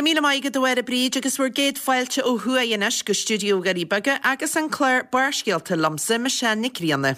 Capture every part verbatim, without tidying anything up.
míle maith agat a Mháire Bríd agus bhur gcéad fáilte ó thuaidh anois go stiúideo Dhoirí Beaga agus an clár Barrscéalta liomsa, Michelle Nic Grianna.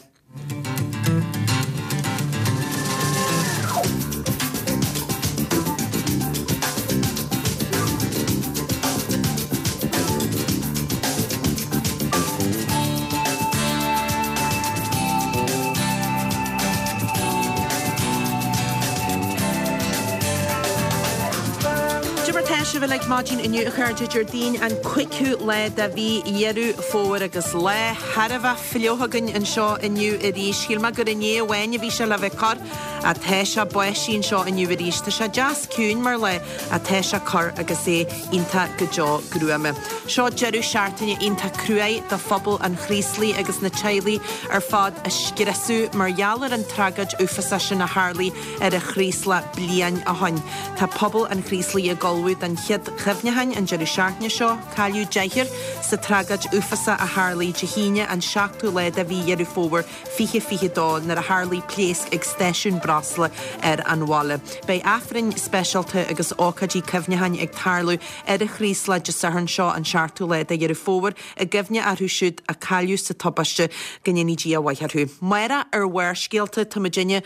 Cad é mar tá sibh uilig maidin inniu a chairde Déardaoin an cúigiú lá de mhí Dheireadh Fómhair agus lá thar a bheith fliuch againn anseo inniu arís. Shíl mé gur inné amháin a bhí sé le bheith corr ach tá sé báistí anseo inniu arís. Tá sé deas ciúin mar lá ach tá sé corr agus é iontach go deo gruama. Seo deireadh seachtaine iontach cruaidh do phobal an Chraoslaigh agus na teaghlaigh ar fad a scriosadh mar gheall ar an tragóid uafásach sin a tharlaigh ar an Chraoslach bliain ó shoin. Tá pobal an Chraoslaigh ag ullmhú don chéad chuimhneacháin an deireadh seachtaine seo. Cailleadh deichniúr sa tragóid uafásach a tharlaigh Dé hAoine an seachtú lá de mhí Dheireadh Fómhair fiche fiche dó nuair a tharlaigh pléasc ag stáisiún breosla ar an bhaile. Beidh Aifrinn speisialta agus ócáidí cuimhneacháin ag tarlú ar an Chraoslach Dé Sathairn seo an seachtú lá de Dheireadh Fómhair i gcuimhne orthu siúd a cailleadh sa tubaiste go ndéanaí Dia a mhaith orthu. Amárach ar Bharrscéalta tá muidinne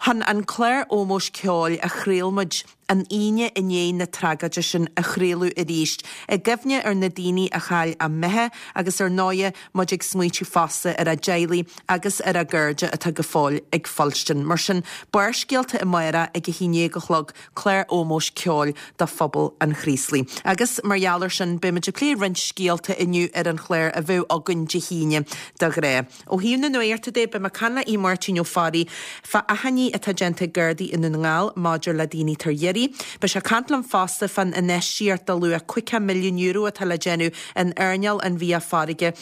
chun an clár ómóis ceoil a chraol muid an Aoine i ndiaidh na tragóide sin a chraoladh arís, i gcuimhne ar na daoine a chaill a mbeatha agus ar ndóighe muid ag smaoitiú fosta ar a dteaghlaigh agus ar a gcairde atá go fóill ag fuilstin. Mar sin, Barrscéalta amárach ag a haon déag a chlog, clár ómóis ceoil do phobal an Chraoslaigh. Agus mar gheall air sin, beimid ag plé roinnt scéalta inniu ar an chlár a bheadh againn Dé hAoine de ghnáth. Ó thaobh na nuachta de, beidh mé ag caint le Aodh Máirtín Ó Fearraigh fá achainí atá déanta ag Gardaí i nDún na nGall maidir le daoine tar iarraidh. Beidh sé ag caint liom fosta fán infheistíocht de luach caoga milliún euro atá le déanamh in earnáil an bhia farraige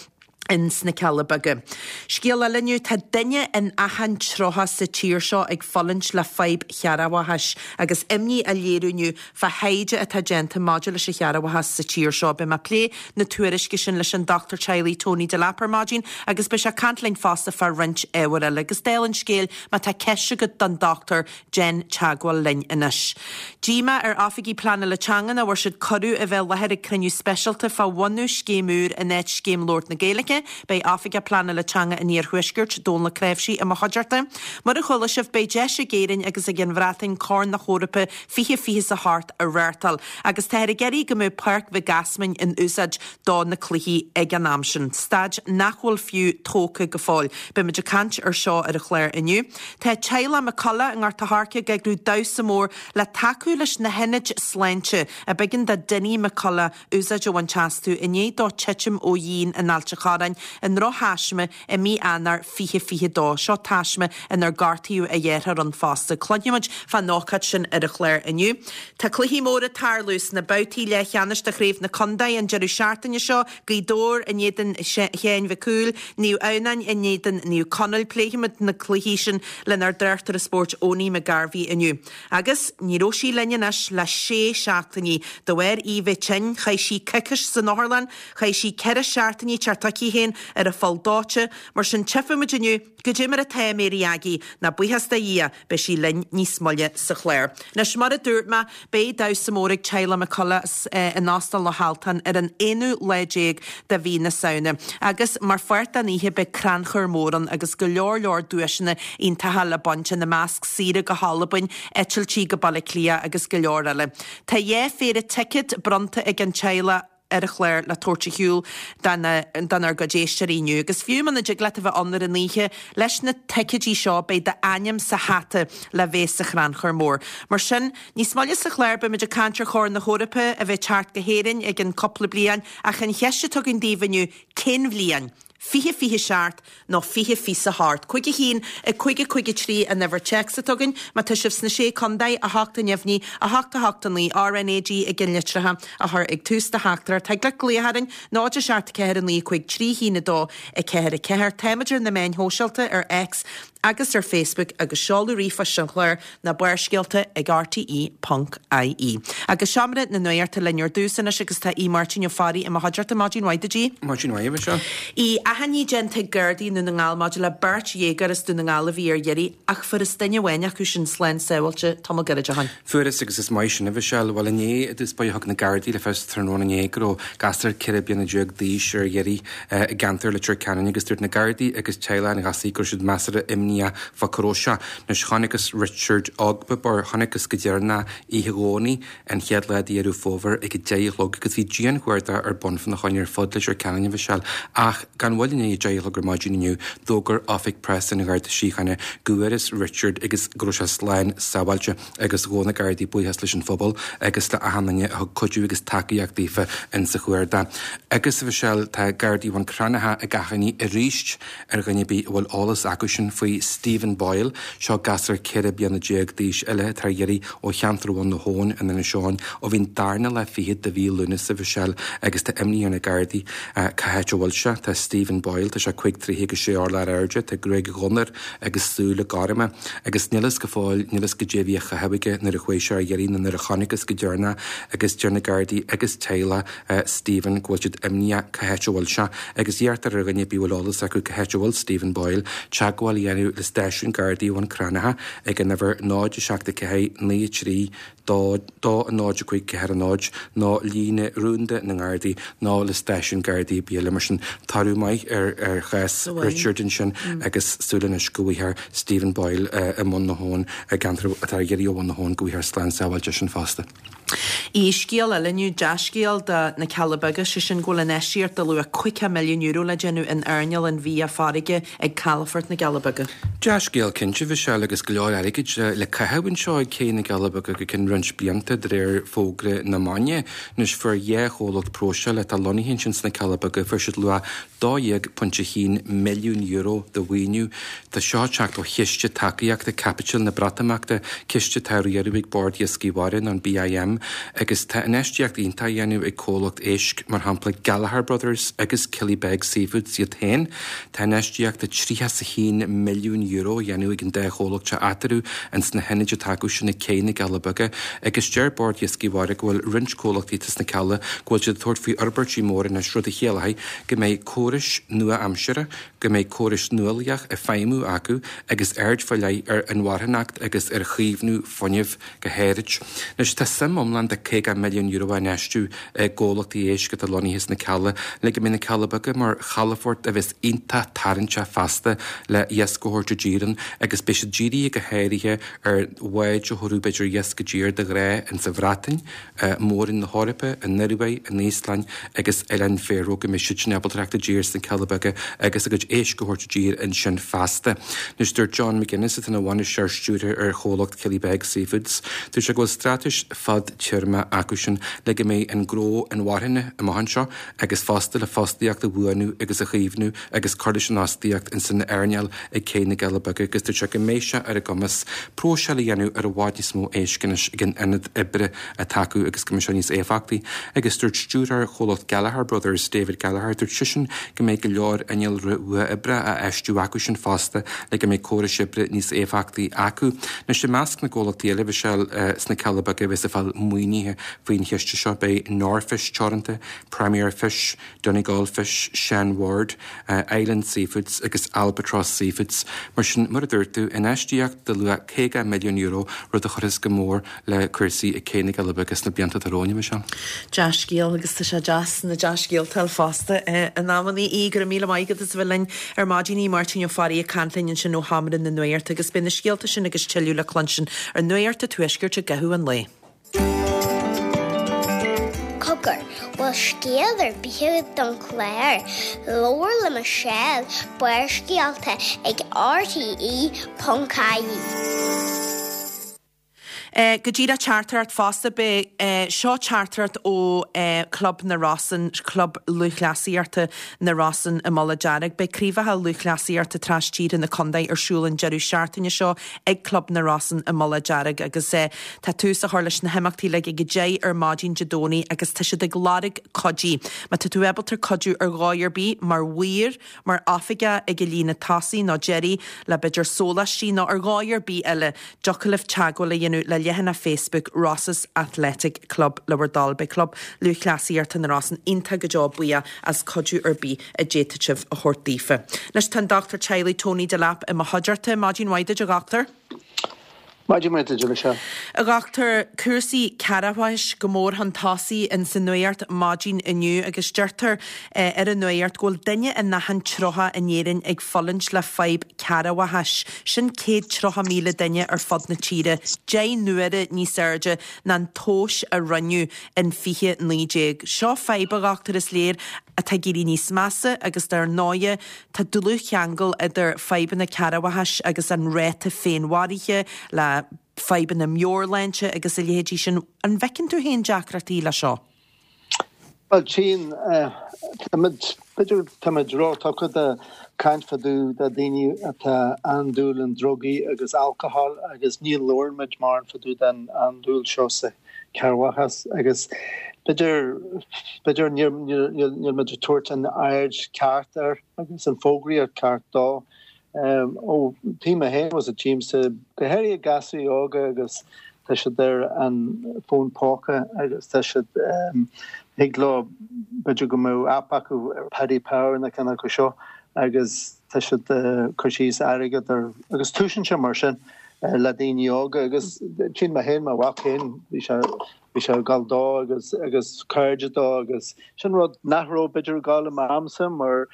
in sna Cealla Beaga. Scéal eile inniu, tá duine in achan tríocha sa tír seo ag fulaingt le fadhb chearrbhachais agus imní á léiriú inniu fá thaighde atá déanta maidir leis an chearrbhachas sa tír seo. Beidh mé ag plé na tuairisce sin leis an dochtúir teaghlaigh Tony Delap ar maidin agus beidh sé ag caint linn fosta fá roinnt ábhar eile. Agus dála an scéil, má tá ceist agat don dochtúir, déan teagmháil linn anois. Díomá ar oifigigh pleanála teanga nach bhfuair siad cuireadh a bheith i láthair ag cruinniú speisialta fá bhunú scéim úr in áit scéim labhairt na Gaeilge. Beidh Oifigeach Pleanála Teanga an Iarthuaiscirt, Dónal Ó Cnáimhsí, i mo chuideachta. Mar a chuala sibh, beidh deis ag Éirinn agus ag an Bhreatain Corn na hEorpa fiche fiche is a hocht a reáchtáil agus táthar ag iarraidh go mbeadh Páirc Mhic Easmainn in úsáid do na cluichí ag an am sin, staid nach bhfuil fiú tógtha go fóill. Beimid ag caint ar seo ar an chlár inniu. Tá teaghlach McCullough i nGort a' Choirce ag eagrú damhsa mór le tacú leis na hionaid sláinte a b'éigean do Dinny McCullough úsáid a bhaint astu i ndiaidh dó titim ó dhíon in Ailt a' Chorráin i ndrochthaisme i mí Eanáir fiche fiche dó. Seo taisme inar gortaíodh a dheartháir ann fosta. Cluinfimid fán ócáid sin ar an chlár inniu. Tá cluichí móra ag tarlú sna babhtaí leathcheannais de Chraobh na Contae an deireadh seachtaine seo, Gaoth Dobhair in éadan Sheáin Mhic Cumhaill, Naomh Adhamhnáin in éadan Naomh Conaill. Pléifimid na cluichí sin lenár dtráchtaire spóirt Owenie McGarvey inniu. Agus ní raibh sí linn anois le sé seachtainí. De bharr í bheith tinn, chaith sí coicís san otharlann, chaith sí ceithre seachtainí ag teacht chuici féin ar an pholl dóite. Mar sin tchífimid inniu goidé mar atá Mary Aggie, ná buíochas do Dhia, beidh sí linn níos moille sa chlár. Anois mar a dúirt mé, beidh damhsa mór ag teaghlach McCullough in Óstán Loch Altan ar an aonú lá déag de mhí na Samhna. Agus mar pháirt den oíche beidh crannchur mór ann agus go leor leor duaiseanna iontacha le baint, ina measc saoire go hAlbain, eitiltí go Baile Átha Cliath agus go leor eile. Tá dhá phéire ticéad bronnta ag an teaghlach ar an chlár le tabhairt ar shiúl donár gcuid éisteoirí inniu. Agus fiú muna dtig leat a bheith ann ar an oíche, leis na ticéidí seo beidh d'ainm sa hata le bheith sa chrannchur mór. Mar sin, níos moille sa chlár beimid ag caint ar Chorn na hEorpa a bheidh teacht go hÉirinn i gceann cúpla bliain ach an cheist atá againn daoibh inniu, cén bhliain? fiche fiche seacht nó fiche fiche a hocht. Cúig a haon a cúig a cúig a trí an uimhir téacs atá againn. Má tá sibh sna Sé Contae, a hocht a neamhní, a hocht a hocht a naoi, RnaG ag an litreacha a chur ag tús do theachtaireacht. Thig leat glaoch orainn, náid a seacht a ceathair a naoi cúig trí haon a dó a ceathair a ceathair. Táimid ar na meáin shóisialta ar X agus ar Facebook agus seoladh ríomhphoist an chláir ná Barrscéalta ag rte ponc ie. Agus seomra na nuachta linn ar dtús anois agus tá Aodh Máirtín Ó Fearraigh i mo chuideachta. Maidin mhaith duit, Aodh. Maidin mhaith, a Mhichelle. Aodh, achainí déanta ag Gardaí i nDún na nGall maidir le beirt dhéagóir as Dún na nGall a bhí ar iarraidh ach fuarthas duine amháin acu sin slán sábháilte tamall gairid ó shin. Fuarthas agus is maith sin, a Mhichelle. Bhuel inné i dtús báire thug na Gardaí le fios tráthnóna inné go raibh gasúr ceithre bliana déag d'aois ar iarraidh i gceantar Leitir Ceanainn agus dúirt na Gardaí agus teaghlach an ghasúir go raibh siad measartha imníoch fá cá raibh sé. Anois chonacthas Richard Ogbebor, chonacthas go deireanach oíche Dhomhnaigh an chéad lá de Dheireadh Fómhair ag a deich a chlog agus bhí dianchuardach ar bun fána choinne ar fud Leitir Ceanainn, a Mhichelle. Ach gan mhoill i ndiaidh a deich a chlog ar maidin inniu d'fhógair Oifig Preasa an Gharda Síochána go bhfuarthas Richard agus go raibh sé slán sábháilte agus ghabh na Gardaí buíochas leis an phobal agus le achan duine a thug cuidiú agus tacaíocht daofa insa chuardach. Agus a Mhichelle, tá Gardaí Bhun Cranncha ag achainí arís ar dhuine ar bith a bhfuil eolas acusin faoi Stephen Boyle, seo gasúr ceithre bliana déag d'aois eile atá ar iarraidh ó cheantar Bhun na hAbhann in Inis Eoghain ó bhí an darna lá fichead de mhí Lúnasa, a Mhichelle, agus tá imní ar na Gardaí cá háit a bhfuil sé. Tá Stephen Boyle, tá sé cúig troigh agus sé orlach ar airde, tá gruaig dhonn air agus súile gorma agus níl fhios go fóill, níl fhios goidé a bhí á chaitheamh aige nuair a chuaigh sé ar iarraidh nó nuair a chonacthas go deireanach agus deir na Gardaí agus teaghlach Stephen go bhfuil siad imníoch cá háit a bhfuil sé agus iarrtar ar dhuine ar bith a bhfuil eolas acu cá háit a bhfuil Stephen Boyle teagmháil a dhéanamh le stáisiún Gardaí Bhun Cranncha ag an uimhir náid a seacht a ceathair naoi a trí dó dó a náid a cúig ceathair a náid nó líne rúnda na nGardaí nó le stáisiún Gardaí ar bith eile mar sin toradh maith ar ar chás Richard ansin agus súil anois go bhfaighfear Stephen Boyle i mBun na hAbhann i gceantar atá ar iarraidh ó Bhun na hAbhann go bhfaighfear slán sábháilte sin fosta. Aodh, scéal eile inniu, dea-scéal do na Cealla Beaga, sé sin go bhfuil infheistíocht de luach caoga milliún euro le déanamh in earnáil an bhia farraige ag Calafort na gCealla Beaga. Dea-scéal cinnte, a Mhichelle, agus go leor airgid le caitheamh anseo ag Cé na gCealla Beaga go ceann roinnt blianta de réir fógra na maidne. Anois fuair dhá chomhlacht próiseála atá lonnaithe ansin sna Cealla Beaga, fuair siad luach dó dhéag pointe haon milliún euro de mhaoiniú. Tá seo ag teacht ó Chiste Tacaíochta Caipitil na Breatimeachta, ciste atá á riaradh ag Bord Iascaigh Mhara nó an BIM, agus tá infheistíocht iontach á dhéanamh ag comhlacht éisc, mar shampla Gallagher Brothers agus Killybegs Seafoods iad féin. Tá infheistíocht de tríocha is a haon milliún euro á dhéanamh ag an dá chomhlacht seo eatarthu ins na hionaid atá acu sin ag Cé na gCealla Beaga, agus deir Bord Iascaigh Mhara go bhfuil roinnt comhlachtaí atá sna Cealla go bhfuil siad ag tabhairt faoi fhorbairtí móra anois, rud a chiallóidh go mbeidh córais nua-aimseartha, go mbeidh córais nuálaíoch ag feidhmiú acu agus aird faoi leith ar inmharthanacht agus ar chaomhnú fuinnimh go háirid. Anois tá suim iomlán de caoga milliún euro á infheistiú i gcomhlachtaí éisc atá lonnaithe sna Cealla le go mbeidh na Cealla Beaga mar chalafort a bheas iontach tarraingteach feasta le iasc a thabhairt i dtír ann agus beidh siad dírithe go háirithe ar bháid a thabharfadh b'fhéidir iasc i dtír de ghnáth insa Bhreatain, Mór-Roinn na hEorpa, an Ioruaidh, an Íoslainn agus Oileáin Faeró go mbeidh siad sin ábalta teacht i dtír sna Cealla Beaga agus a gcuid éisc a thabhairt i dtír ansin feasta. Anois dúirt John McGuinness atá ina bhainisteoir stiúrtha ar chomhlacht Killybegs Seafoods, dúirt sé go bhfuil straitéis fadtéarma acusin le go mbeidh an gnó inmharthana amach anseo agus fosta le fostaíocht a bhuanú agus a chaomhnú agus cur leis an fhostaíocht ins an earnáil ag Cé na gCealla Beaga agus dúirt sé go mbeidh sé ar a gcumas próiseáil a dhéanamh ar i bhfad níos mó éisc anois ag an ionad oibre atá acu agus go mbeidh sé níos éifeachtaí. Agus dúirt stiúrthóir chomhlacht Gallagher Brothers, David Gallagher, dúirt seisean go mbeidh go leor innealra uathoibrithe á fheistiú acusin fosta le go mbeidh córais oibre níos éifeachtaí acu. Anois i measc na gcomhlachtaí eile a bhí sé sna Cealla Beaga a bheas ag fáil maoinithe faoin chiste seo beidh Norfish Teoranta, Premier Fish, Donegal Fish, Sean Ward, Island Seafoods agus Albatross Seafoods. Mar sin, mar a dúirt tú, infheistíocht de luach caoga milliún euro, rud a chuirfeas go mór le cúrsaí ag Cé na gCealla Beaga sna blianta atá romhainn, a Mhichelle. Dea-scéal agus tá sé deas na dea-scéalta a fháil fosta in amannaí. Aodh, go raibh míle maith agat as a bheith linn ar maidin. Aodh Máirtín Ó Fearraigh ag caint linn ansin ó Sheomra na Nuachta agus beidh na scéalta sin agus tuilleadh le cluinstin ar Nuacht an Tuaiscirt i gcaitheamh an lae. Cogar, bhfuil scéal ar bith agat don chlár? Labhair le Michelle, Barrscéalta ag RTE ponc IE. Go díreach teachtaireacht fosta beidh seo teachtaireacht ó Club na Rosann, Club Lúthchleasaíochta na Rosann i Mullach Dearg. Beidh craobhacha lúthchleasaíochta tras-tíre na contae ar siúl an deireadh seachtaine seo ag Club na Rosann i Mullach Dearg agus tá tús á chur leis na himeachtaí le ag a deich ar maidin Dé Domhnaigh agus tá siad ag lorg cuidí. Má tá tú ábalta cuidiú ar dhóigh ar bith mar mhaor, mar oifigeach ag an líne tosaigh nó deiridh le b'fhéidir sóláistí nó ar dhóigh ar bith eile, dtiocfadh libh teagmháil a dhéanamh le leathanach Facebook Rosses Athletic Club le bhur dtoil. Beidh Club Lúthchleasaíochta na Rosann iontach go deo buíoch as cuidiú ar bith a d'fhéadfadh sibh a thabhairt daofa. Anois tá an Dochtúir Teaghlaigh Tony Delap i mo chuideachta. Maidin mhaith duit a dhochtúir. Maidin mhaith duit Michelle. A dhochtúir cúrsaí cearrbhachais go mór chun tosaigh in sa nuacht maidin inniu agus deirtear eh, ar an nuacht go bhfuil duine in achan tríocha in Éirinn ag fulaingt le fadhb cearrbhachais. Sin céad tríocha míle duine ar fud na tíre, deich n-uaire níos airde ná an tomhas a rinneadh in fiche naoi déag. Seo fadhb a dhochtúir is léir atá ag éirí níos measa agus dar ndóigh tá dlúthcheangal idir fadhbanna cearrbhachais agus an ráta féinmharaithe le fadhbanna meabhairshláinte agus a leithéidí sin. An bhfeiceann tú féin deacrachtaí le seo? Well tchím b'fhéidir táimid róthugtha do caint fá dtaobh de daoine atá andúil in drugaí agus alcohol agus ní labhrann muid mórán fá dtaobh den andúil seo sa cearrbhachas agus b'fhéidir b'fhéidir níl muid ag tabhairt an aird ceart air agus an fógraíocht ceart dó. Um, ó tí mé féin was a tchímse go háirithe gasúir óga agus tá siad ar an fón póca agus tá siad um, thig leo b'fhéidir go mbeadh app acu ar Paddy Power na ceann acu seo agus tá siad uh, cur síos airgead ar agus túisiann sé mar sin uh, le daoine óga agus tchím mé féin mo mhac féin bhí sé bhí sé ag gabháil dó agus agus cairde dó agus sin rud nach raibh b'fhéidir ag gabháil i m'amsa mar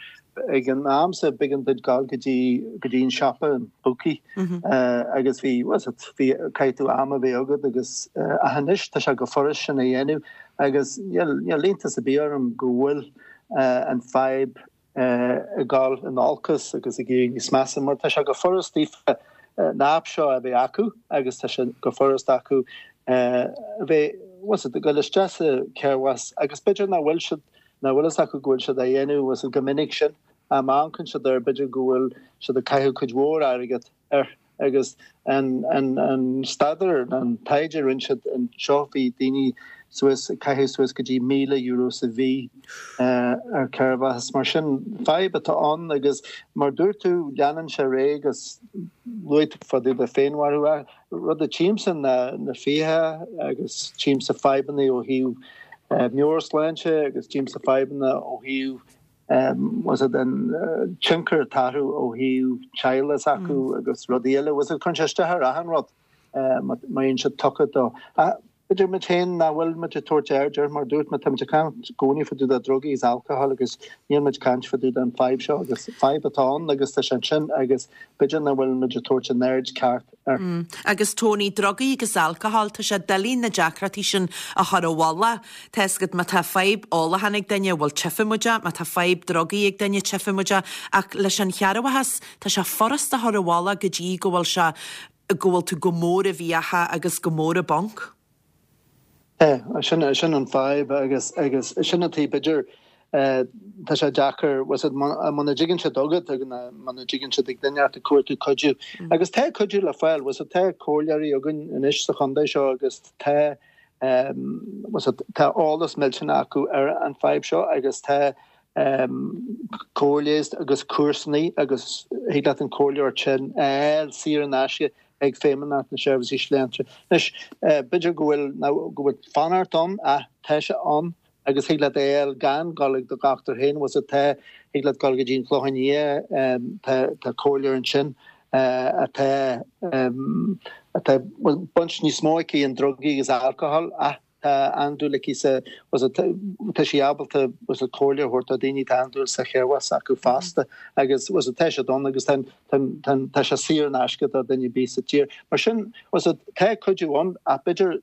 ag an amsa b'éigean duit gabháil go dtí go dtí an siopa an bookie mm -hmm. uh, agus bhí bhí caithfidh tú am a bheith agat agus uh, anois tá sé go furast sin a dhéanamh agus níl iontas ar bith orm go bhfuil uh, an fadhb uh, ag gabháil in olcas agus ag éirí níos measa mar tá sé go furast daofa uh, na app seo a bheith acu agus tá sé go furast acu uh, a bheith was it go isteach sa cearrbhachas agus b'fhéidir nach bhfuil siad nach bhfuil fhios acu go bhfuil siad a dhéanamh was go minic sin a amharcann siad ar b'fhéidir go bhfuil siad ag caitheamh cuid mhór airgead ar agus an an an staidéar an taighde rinne siad anseo bhí daoine suas caitheamh suas go dtí míle euro sa mhí uh, ar cearrbhachas mar sin fadhb atá ann agus mar dúirt tú leanann sé ré agus luaigh fá dtaobh de féinmharú rud a tchímse na na fiacha agus tchímse fadhbanna ó thaobh uh, meabhairshláinte agus tchímse fadhbanna ó thaobh um, was it an uh, tionchar atá ó thaobh teaghlach acu mm. agus rudaí eile was it chun sé isteach ar achan rud uh, má bhíonn sé tugtha dó. B'fhéidir muid féin nach bhfuil muid ag tabhairt aird air mar dúirt mé táimid ag caint i gcónaí fá dtaobh de drugaí is alcohol agus níl muid caint fá dtaobh den fadhb seo agus fadhb atá ann agus tá sé sin agus b'fhéidir nach bhfuil muid ag tabhairt an aird ceart air. Mm. Agus Tony drugaí agus alcohol tá sé doiligh na deacrachtaí sin a chur i bhfolach. Tá gad má tá fadhb ólacháin ag duine bhfuil tchífidh muid é, má tá fadhb drugaí ag duine tchífidh muid é, ach leis an chearrbhachas tá sé furast a chur i bhfolach go dtí go bhfuil sé go bhfuil tú go mór i bhfiacha agus go mór i bponc. É sin sin an fadhb agus agus sin an tí b'fhéidir tá sé deacair was muna dtigeann sé chugat agus muna dtigeann sé ag duine ag cuartú cuidiú. Agus tá cuidiú le fáil was tá comhairleoirí againn anois sa chontae seo agus tá um, was tá eolas millteanach acu ar an fadhb seo agus tá um, comhairle agus cúrsaí agus thig leat an comhairleoir sin é saor in aisce ag Feidhmeannacht na Seirbhísí Sláinte. Anois b'fhéidir go bhfuil go bhfuil fanacht ann a tá sé ann agus thig leat é gan gabháil ag do dhochtúir féin was tá thig leat gabháil go dtí an Clochán Liath tá comhairleoir ansin atá atá baint níos mó aici an drugaí agus alcohol a tá andúil aici sa was tá sí ábalta was a comhairle a thabhairt do daoine tá andúil sa chearrbhachas acu fosta agus was tá sé ann agus tá sé saor in aisce do duine ar bith sa tír. Mar sin was tá cuidiú ann a b'fhéidir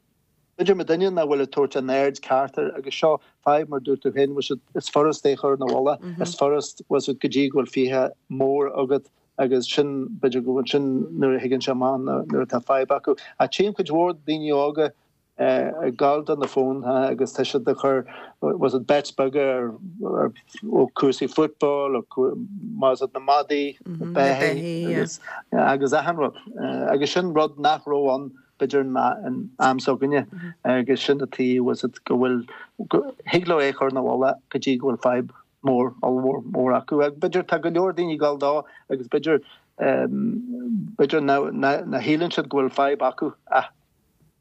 b'fhéidir muid féin nach bhfuil ag tabhairt an aird ceart air agus seo fadhb mar dúirt tú féin was is furast é chur ina bhfolach is furast was go dtí go bhfuil fiacha mór agat agus sin b'fhéidir go bhfuil sin nuair a thigeann sé amach nuair atá fadhb acu. Ach tchím cuid mhór daoine óga ag gabháil do na fóin agus tá siad ag cur was it bets beaga ar ó cúrsaí football ó was it na madaí na beithígh agus agus achan rud. Agus sin rud nach raibh ann b'fhéidir in am s'againne agus sin an tuige was it go bhfuil thig leo é a chur ina bhfolach go dtí go bhfuil fadhb mór ollmhór mór acu. Ach b'fhéidir tá go leor daoine ag gabháil dó agus b'fhéidir b'fhéidir na shíleann siad go bhfuil fadhb acu ach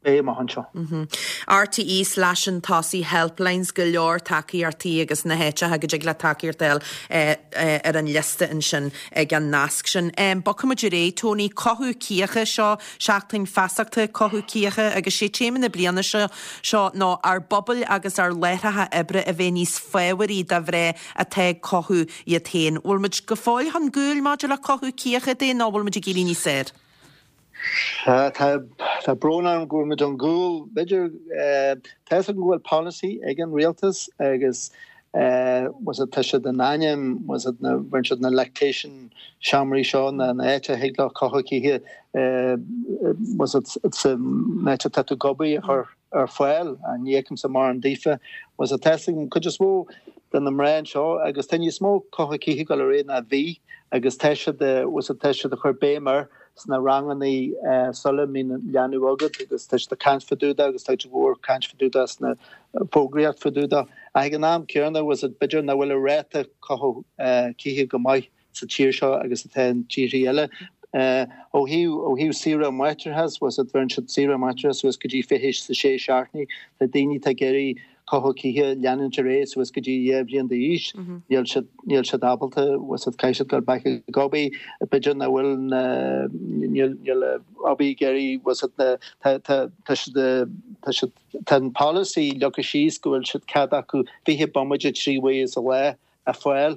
beidh amach anseo. RTE slash an tosaigh helplines go leor tacaíochtaí agus na háiteacha go dtig le tacaíocht a fháil ar an liosta ansin ag an nasc sin. Bogfaimid ar aghaidh, Tony, cothú cíocha seo, seachtain feasachta cothú cíocha agus sé téama na bliana seo seo ná ár bpobail agus ár láithreacha oibre a bheith níos fábharaí do mhná atá ag cothú iad féin. Bhfuil muid go fóill chun gcúil maidir le cothú cíocha de nó bhfuil muid ag éirí níos fearr? Tá brón orm go bhfuil muid chun gcúil b'fhéidir tá a fhios agam go bhfuil polasaí ag an rialtas agus was it tá siad in ainm was it na bhain siad na lactation seomraí seo na na áit a thig leo cothú cíche was it an áit atá tú ag obair a chur ar fáil ní fheicimse mórán daofa was it tá a fhios agam cuid is mó de na mná anseo agus tá níos mó cothú cíche ag dul ar aghaidh ná bhí agus tá siad was it tá siad a chur béim air sna ranganna sula mbíonn leanbh agat agus tá siad ag caint fá dtaobh de agus tá go leor caint fá dtaobh de sna fógraíocht fá dtaobh de. Ach ag an am céanna was it b'fhéidir nach bhfuil an ráta cothú cíche go maith sa tír seo agus atá in tíortha eile. Ó thaobh ó thaobh saoire máithreachais was it bheireann siad saoire máithreachais suas go dtí fiche is a sé seachtainí. Tá daoine atá ag iarraidh cothú cíche leanúint ar aghaidh suas go dtí dhá bhliain d'aois. Níl siad níl siad ábalta was it caithfidh siad dul back ag obair b'fhéidir nach bhfuil na níl níl obair ag iarraidh was it na tá tá tá siad tá siad tá an policy leagtha síos go bhfuil siad cead acu fiche bomaite trí uaire sa lá a fáil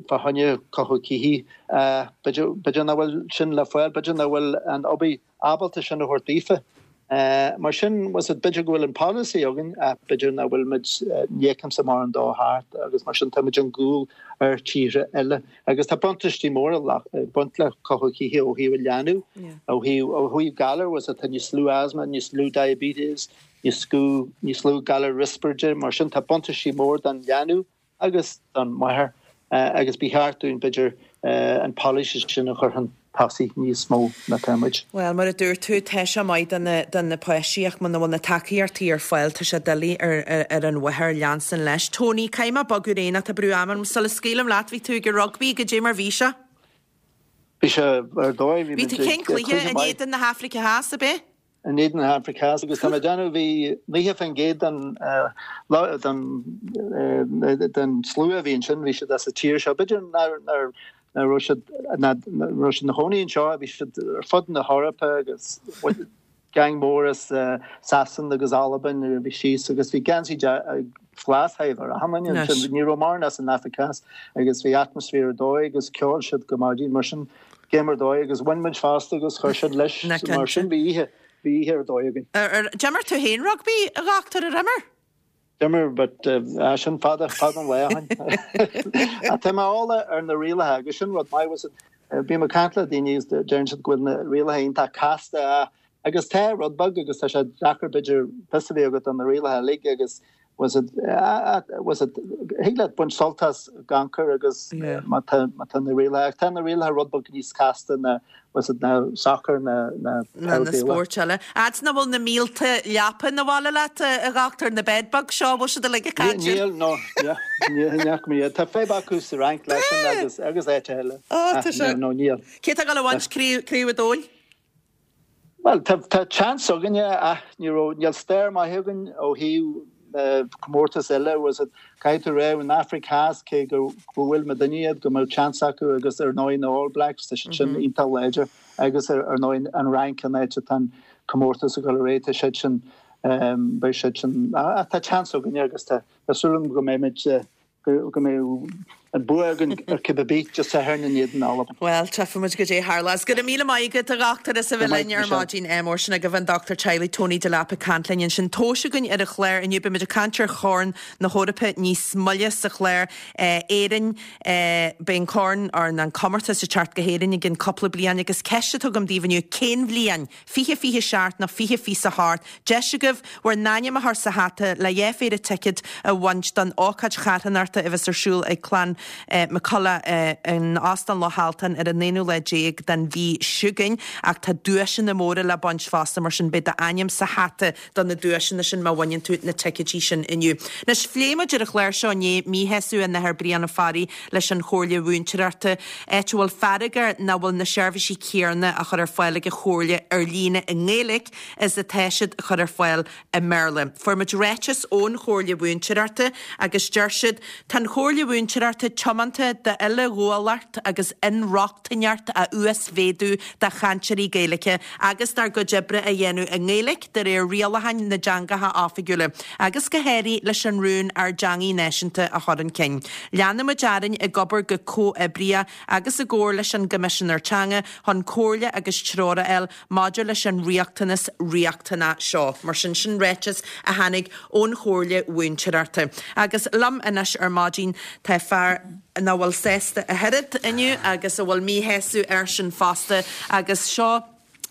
fá choinne cothú cíche. B'fhéidir b'fhéidir nach bhfuil sin le fáil, b'fhéidir nach bhfuil an obair ábalta sin a thabhairt daofa. Mar sin was it b'fhéidir go bhfuil an policy againn ach b'fhéidir nach bhfuil muid ní fheicimse mórán dó thart agus mar sin tá muid chun gcúil ar tíortha eile. Agus tá buntáistí móra ag baint le cothú cíche ó thaobh an leanbh, ó thaobh ó thaobh galar was it tá níos lú asthma, níos lú diabetes, níos lú níos lú galar riospráide, mar sin tá buntáistí mór don leanbh agus don mháthair agus ba cheart dúinn b'fhéidir an policy sin a chur chun tosaigh níos mó ná tá muid. Bhuel, mar a dúirt tú, tá sé maith do na, do na páistí ach muna bhfuil na tacaíochtaí ar fáil, tá sé doiligh ar, ar, ar an mháthair leanstan leis. Tony, caithfidh mé bogadh ar aghaidh ach tá brú ama orm. Sula scaoilim leat, bhí tú ag an rugbaí, goidé mar bhí sé? Bhí sé ar dóigh, bhí Bhí tú muid cén ag cluiche cluiche in maith. éadan na hAfraice Theas, ab é? In éadan na hAfraice Theas agus tá mé ag déanamh bhí naocha faoin gcéad den den den slua a bhí ansin, bhí siad as an tír seo. B'fhéidir nár nár ná raibh siad ná raibh siad ina chónaí anseo, bhí siad ar fud na hEorpa agus gang mór as Sasain agus Albain a bhí síos agus bhí geansaí glas ar achan duine ansin. Ní raibh mórán as an Afraic Theas agus bhí atmaisféar ar dóigh agus cheol siad go maidin mar sin game ar dóigh agus bhain muid fosta agus chuir siad leis Na mar sin bhí oíche bhí oíche ar dóigh againn. Ar, ar, d'imir tú féin rugbaí a dhochtúir ar imir? D'imir but uh, sin fada fada an lá ó shin. Tá mé eolach ar na rialacha agus sin rud maith was it bím ag caint le daoine is deireann siad go bhfuil na rialacha iontach casta agus tá rud beag agus tá sé deacair b'fhéidir fios a bheith agat ar na rialacha uilig agus was it uh, was it thig leat baint sult as gan cur agus Yeah. má tá má tá na rialacha tá na rialacha rud beag níos casta na was it na soccer na na Na na peil spóirt eile. Fhad nach bhfuil na mílte leapa na bhaile leat a dhochtúir na bedbug seo bhfuil siad uilig ag caint. Níl no yeah, níl neach mé tá fadhb acu sa Fhrainc leis sin agus agus áit eile. Ó, tá sé- No níl. Cé tá ag gabháil a bhaint craobh an domhain? Well tá tá chance againne ach ní raibh níl stair maith againn ó thaobh uh, comórtas eile was it caithfidh tú rá in Afraic Theas cé go go bhfuil na duine iad go mbeidh chance acu agus ar ndóigh na All Blacks tá siad sin iontach láidir agus ar ar ndóigh an Fhrainc an áit atá an comórtas ag dul ar aghaidh tá siad sin um, beidh siad sin ach tá chance againne agus tá tá súil agam go mbeimid uh, go go mbeidh an bua againn ar cibé bith just Satharn in éadan Albain. Well, tchífimid goidé tharlós. Go raibh míle maith agat a dhochtúir as a bheith linn ar maidin mór sin agaibh an Dr Teaghlaigh Tony Delap ag caint linn ansin. Tomhais againn ar an chlár inniu beimid ag caint ar Chorn na hEorpa níos moille sa chlár Éirinn beidh an corn ar an comórtas ag teacht go hÉirinn i gceann cúpla bliain agus ceist atá agam daoibh inniu cén bhliain fiche fiche seacht nó fiche fiche a hocht deis agaibh bhur n-ainm a chur sa hata le dhá phéire ticéad a bhaint don ócáid charthanachta a bheas ar siúl ag clann McCullough in Óstán Loch Altan ar an aonú lá déag den mhí seo chugainn ach tá duaiseanna móra le baint fosta mar sin beidh d'ainm sa hata do na duaiseanna sin má bhaineann tú na ticéidí sin inniu. Anois phléigh muid ar an chlár seo inné míshásamh an Athar Brian Ó Fearraigh leis an Chomhairle Mhúinteoireachta áit a bhfuil fearg air nach bhfuil na seirbhísí céanna á chur ar fáil ag an Chomhairle ar líne i nGaeilge is atá siad a chur ar fáil i mBéarla. Fuair muid ráiteas ón Chomhairle Mhúinteoireachta agus deir siad tá an Chomhairle Mhúinteoireachta tiomanta d'uileghabhálacht agus inrochtaineacht a uasmhéadú do chainteoirí Gaeilge agus dár gcuid oibre a dhéanamh i nGaeilge de réir rialacháin na dteangacha oifigiúla, agus go háirithe leis an rún ár dteangaidh náisiúnta a chur chun cinn. Leanfaimid orainn ag obair go comhoibríoch agus i gcomhar leis an gCoimisinéir Teanga chun comhairle agus treoir a fháil maidir leis an riachtanas riachtanach seo. Mar sin sin ráiteas a tháinig ón Chomhairle Mhúinteoireachta. Agus liom anois ar maidin tá fear nach bhfuil sásta a thuilleadh inniu agus a bhfuil míshásamh air sin fosta agus seo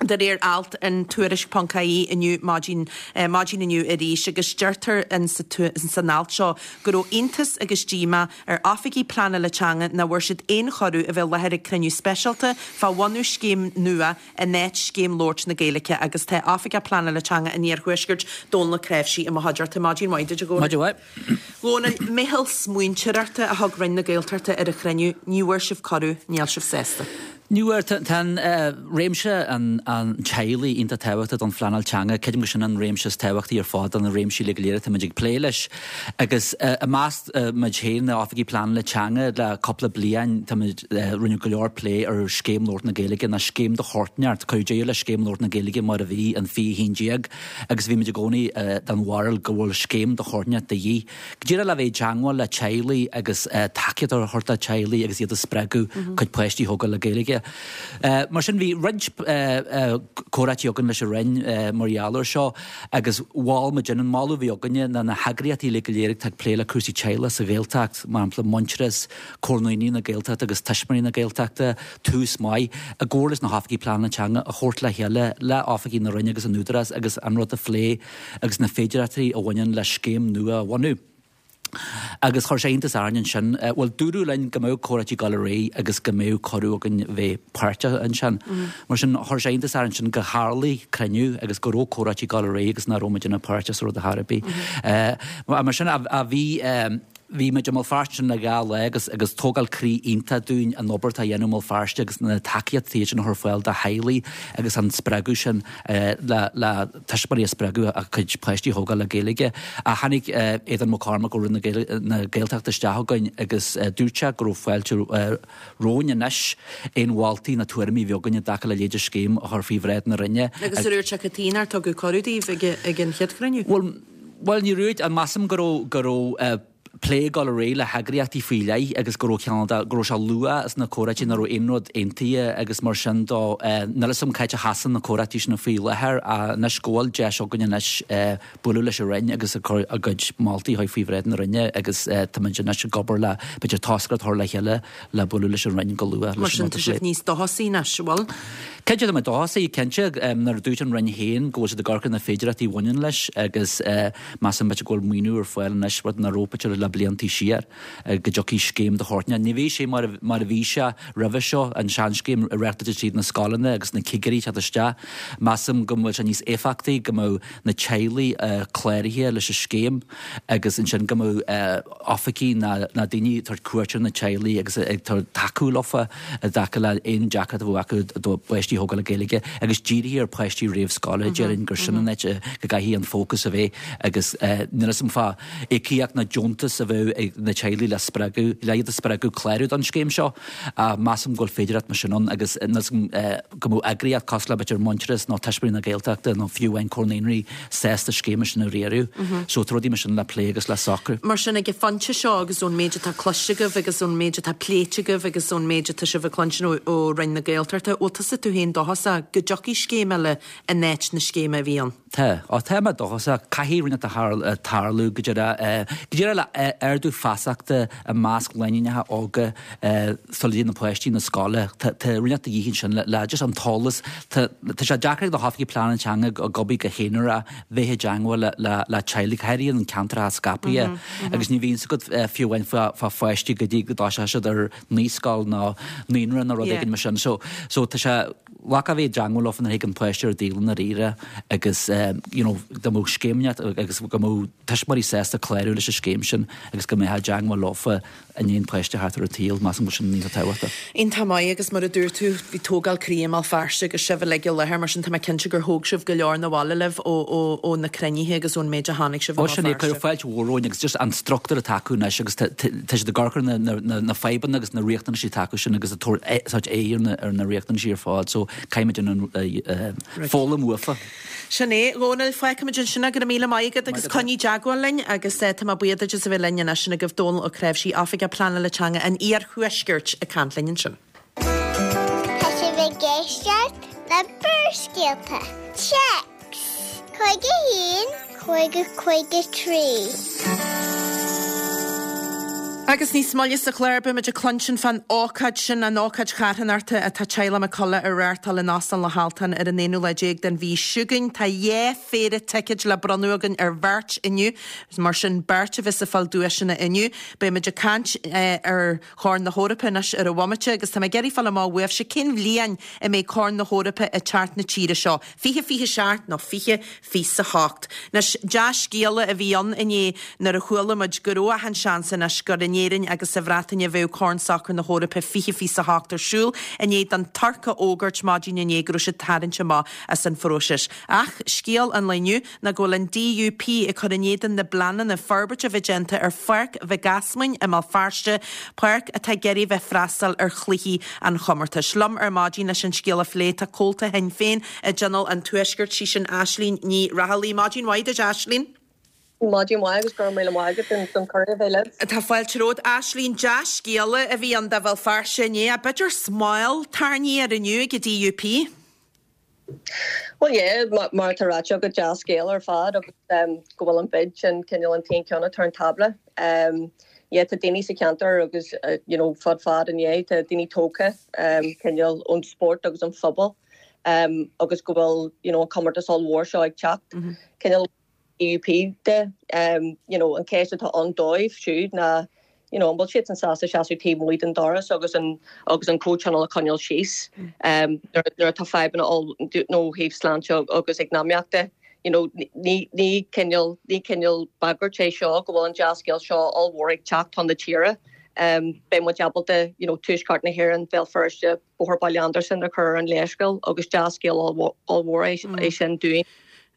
de réir alt in tuairisc ponc ie inniu maidin maidin inniu arís agus deirtear in san alt seo go raibh iontas agus díomá ar oifigigh pleanála teanga nach bhfuair siad aon chuireadh a bheith i láthair ag cruinniú speisialta fá bhunú scéim nua in áit scéim labhairt na Gaeilge agus tá oifigeach pleanála teanga an Iarthuaiscirt Dónal Ó Cnáimhsí i mo chuideachta maidin mhaith duit a Dhónaill. Maidin mhaith. Dhónaill, meitheal smaointeoireachta a thug Roinn na Gaeltachta ar an chruinniú, ní bhfuair sibh cuireadh, níl sibh sásta. Ní bhfuair tá an réimse an an teaghlaigh iontach tábhachtach don phleanáil teanga, creidim go sin an réimse is tábhachtaí ar fad do na réimsí uilig go léir atá muid ag plé leis. Agus i measc muid féin na oifigigh pleanála teanga le cúpla bliain tá muid rinneadh go leor plé ar scéim labhairt na Gaeilge ná scéim do chortneart, cuireadh deireadh le scéim labhairt na Gaeilge mar a bhí in fiche haon déag agus bhí muid i gcónaí den bharúil go bhfuil scéim do chortneart de dhíth. Go díreach le bheith i dteangmháil le teaghlaigh agus tacaíocht a thabhairt do teaghlaigh agus iad a spreagadh cuid páistí a thógáil le Gaeilge. Mar sin bhí roinnt comhráití againn leis an Roinn mar gheall air seo agus mhol muid an moladh a bhí againne ná na heagraíochtaí uilig go léir atá ag plé le cúrsaí teaghlaigh sa Ghaeltacht, mar shampla Muintearas, Comhar na Ndaoine na Gaeltachta agus Tuismitheoirí na Gaeltachta, Tús Maith, i gcomhar leis na hoifigigh pleanála teanga a thabhairt le chéile le oifigigh na Roinne agus an Údarás agus an rud a phlé agus na féidearthachtaí a bhaineann le scéim nua a bhunú. Agus chuir sé iontas orainn ansin, bhuel dúradh linn go mbeadh comhráití ag dul ar aghaidh agus go mbeadh cuireadh againn bheith páirteach ansin. Mar sin chuir sé iontas orainn ansin go tharlaigh cruinniú agus go raibh comhráití ag dul ar aghaidh agus nach raibh muid ina páirteach sa rud ar chor ar bith. Mar sin a bhí bhí muid i mBéal Feirste ansin le dhá lá agus agus tógáil croí iontach dúinn an obair atá á dhéanamh i mBéal Feirste agus na tacaíochtaí sin a chur ar fáil do theaghlaigh agus an spreagadh sin le le tuismitheoirí a spreagadh a gcuid páistí a thógáil le Gaeilge. Ach tháinig Aodhán Mac Cormaic ó Roinn na Gaeltachta isteach chugainn agus dúirt sé go raibh fáilte romhainn anois aon mholtaí nó tuairimí a bhí againn i dtaca le leithéid de scéim a chur faoi bhráid na Roinne. Agus ar dhúirt sé cad chuige nár tugadh cuireadh daoibh ag an chéad chruinniú? Bhuel, bhuel ní raibh, measaim go raibh go raibh plé ag dul ar aghaidh le heagraíochtaí faoi leith agus go raibh cineál de, go raibh sé luath sna comhráití nach raibh aon rud aontaithe agus mar sin de níl a fhios agam cá háit a sheasann na comhráití sin faoi láthair ach anois go bhfuil deis againn anois bualadh leis an Roinn agus ag cur a gcuid moltaí a chur faoi bhráid na Roinne agus táimid anois ag obair le b'fhéidir toscaireacht a chur le chéile le bualadh leis an Roinn go luath Mar leis an sin tá sibh níos dóchasaí anois, an bhfuil? Cinnte tá mé dóchasach, cinnte, nuair a dúirt an Roinn féin go bhfuil siad ag amharc ar na féidearthachtaí a bhaineann leis agus measaim b'fhéidir go bhfuil maoiniú ar fáil anois, rud nach raibh b'fhéidir le bliantaí siar, go dtiocfaidh scéim de shórt. Ní bheidh sé mar a bhí sé roimhe seo, an seanscéim a reáchtáilte tríd na scoileanna agus na cigirí ag teacht isteach. Measaim go bhfuil sé níos éifeachtaí go mbeadh na teaghlaigh cláraithe leis an scéim agus ansin go mbeadh oifigigh ná daoine ag tabhairt cuairt ar na teaghlaigh agus ag tacú leofa i dtaca le aon deacracht a bheadh acu a bpáistí a thógáil le Gaeilge agus dírithe ar pháistí réamhscoile, déarfainn gur sin an áit go gcaithfidh an fócas a bheith agus níl a fhios agam fá íocaíocht ná deontas a a bheadh ag na teaghlaigh le spreagadh, le iad a spreagadh clárú don scéim seo. Measaim go bhfuil féidearthacht mar sin ann agus go mbeadh eagraíocht cosúil le b'fhéidir Muintearas nó Tuismitheoirí na Gaeltachta nó fiú amháin Comhar Naíonraí sásta scéim mar sin a riaradh. So tá rudaí mar sin le plé agus le socrú. Mar sin ag an phointe seo agus ón méid atá cloiste agaibh agus ón méid atá pléite agaibh agus ón méid atá sibh ag cluinstin ó ó Roinn na Gaeltachta, bhfuil tusa tú féin dóchasach go dtiocfaidh scéim eile in áit na scéime a bhí ann? Tá. Ó tá mé dóchasach. Caithfidh rud inteacht tarlú go díreach go díreach le ardú feasachta i measc lánúineacha óga sula dtéann na páistí na scoile. Tá rud inteacht de dhíth ansin le le just an t-eolas. Tá tá sé deacair ag na hoifigigh pleanála teanga ag obair go haonarach bheith i dteangmháil le le le teaghlaigh, go háirithe in ceantracha scaipthe agus ní bhíonn fhios agat fiú amháin fá fá pháistí go dtí go dtoiseoidh siad ar naíscoil nó naíonra nó rud éigin mar sin. So so tá sé Bheadh a bheith i dteangmháil leofa nuair a thig an páiste ar dialann dáiríre agus you know dá mbeadh scéim agus go mbeadh tuismitheoirí sásta clárú leis an scéim sin agus go mbeifeá i dteangmháil leofa i ndiaidh an páiste theacht ar an tsaol, measaim go bhfuil sin iontach tábhachtach. Iontach maith agus mar a dúirt tú bhí tógáil croí i mBéal Feirste agus sibh uilig i láthair mar sin tá mé cinnte gur thóg sibh go leor 'na bhaile libh ó ó ó na cruinnithe agus ón méid a chonaic sibh i Ó mBéal sin é, Feirste. cuireadh fáilte mhór romhainn agus just an struchtúr atá acu anois agus tá tá siad ag amharc ar na na na fadhbanna agus na riachtanaisí atá acu sin agus ag tabhairt sórt aghaidh ar na ar na riachtanaisí ar fad so caithfimid an foghlaim uafa. Sin é, a Dhónaill, fágfaimid ansin é, go raibh míle maith agat agus coinnigh i dteagmháil linn agus tá mé buíoch duit as a bheith linn anois, sin agaibh Dónall Ó Cnáimhsí, Oifigeach Pleanála Teanga an Iarthuaiscirt ag caint linn ansin. Tá sibh ag éisteacht le Barrscéalta. Téacs cúig a haon, cúig a cúig a trí. Agus níos moille sa chlár beimid ag cluinstin fán ócáid sin, an ócáid charthanachta atá teaghlach McCullough a reáchtáil in Óstán Loch Altan ar an aonú lá déag den mhí seo chugainn. Tá dhá phéire ticéid le bronnadh againn ar bheirt inniu, mar sin beirt a bheas ag fáil duaiseanna inniu. Beimid ag caint ar Chorn na hEorpa anois ar an bhomaite agus tá mé ag iarraidh fáil amach uaibhse cén bhliain a mbeidh Corn na hEorpa ag teacht na tíre seo, fiche fiche seacht nó fiche fiche a hocht. Anois, dea-scéala a bhí ann inné nuair a chuala muid go raibh achan seans anois gur in Éirinn agus sa Bhreatain a bheadh Corn Sacair na hEorpa fiche fiche a hocht ar siúl, i ndiaidh don Tuirc a fhógairt maidin inné go raibh siad tarraingt amach as an phróiseas. Ach scéal an lae inniu ná go bhfuil an DUP ag cur in éadan na bpleananna forbairte a bheith déanta ar Pháirc Mhic Easmainn i mBéal Feirste, páirc atá ag iarraidh bheith freastal ar chluichí an chomórtais. Liom ar maidin leis an scéal a phlé tá comhalta Shinn Féin i dTionól an Tuaiscirt, sí sin Aislínn Ní Raghallaigh. Maidin mhaith duit Aislínn. Maidin mhaith agus go raibh míle maith agat don cuireadh a bheith libh. Tá fáilte romhat Aislínn, dea-scéala a bhí ann do Bhéal Feirste inné, ach b'fhéidir smál tarraingthe air inniu ag an DUP. Bhuel yeah, mar atá ráite agat dea-scéal ar fad agus go bhfuil an bid sin cineál an t-aon ceann atá ar an tábla. Yeah tá daoine sa cheantar agus you know fud fad inné tá daoine tógtha cineál ón spórt agus an phobal agus go bhfuil you know an comórtas ollmhór seo ag teacht. Cineál DUP de you know an ceist atá ann dóibh siúd ná you know an bhfuil siadsan sásta seasamh taobh amuigh den doras agus an agus an comhthionól a choinneáil síos um nuair nuair atá fadhbanna ann ó thaobh sláinte agus eacnamaíochta you know ní ní cineál ní cineál bagairt é seo go bhfuil an dea-scéal seo ollmhór ag teacht chun na tíre um beidh muid ábalta you know tuaisceart na hÉireann Béal Feirste Bóthar Baile Andarsan a chur ar an léarscáil agus dea-scéal ollmhór é é sin dúinn.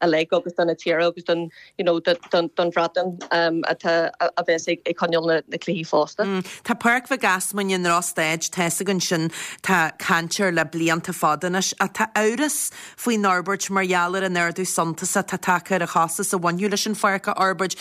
uilig agus do na tíre agus don you know don don Bhreatain um atá a bheas ag ag coinneáil na na cluichí fosta. Tá Páirc Mhic Easmainn i ndrochstaid, tá fhios againn sin, tá caint air le blianta fada anois, ach tá amhras faoin fhorbairt mar gheall ar an ardú suntasach atá tagtha ar an chostas a bhainfeadh leis an pháirc a fhorbairt.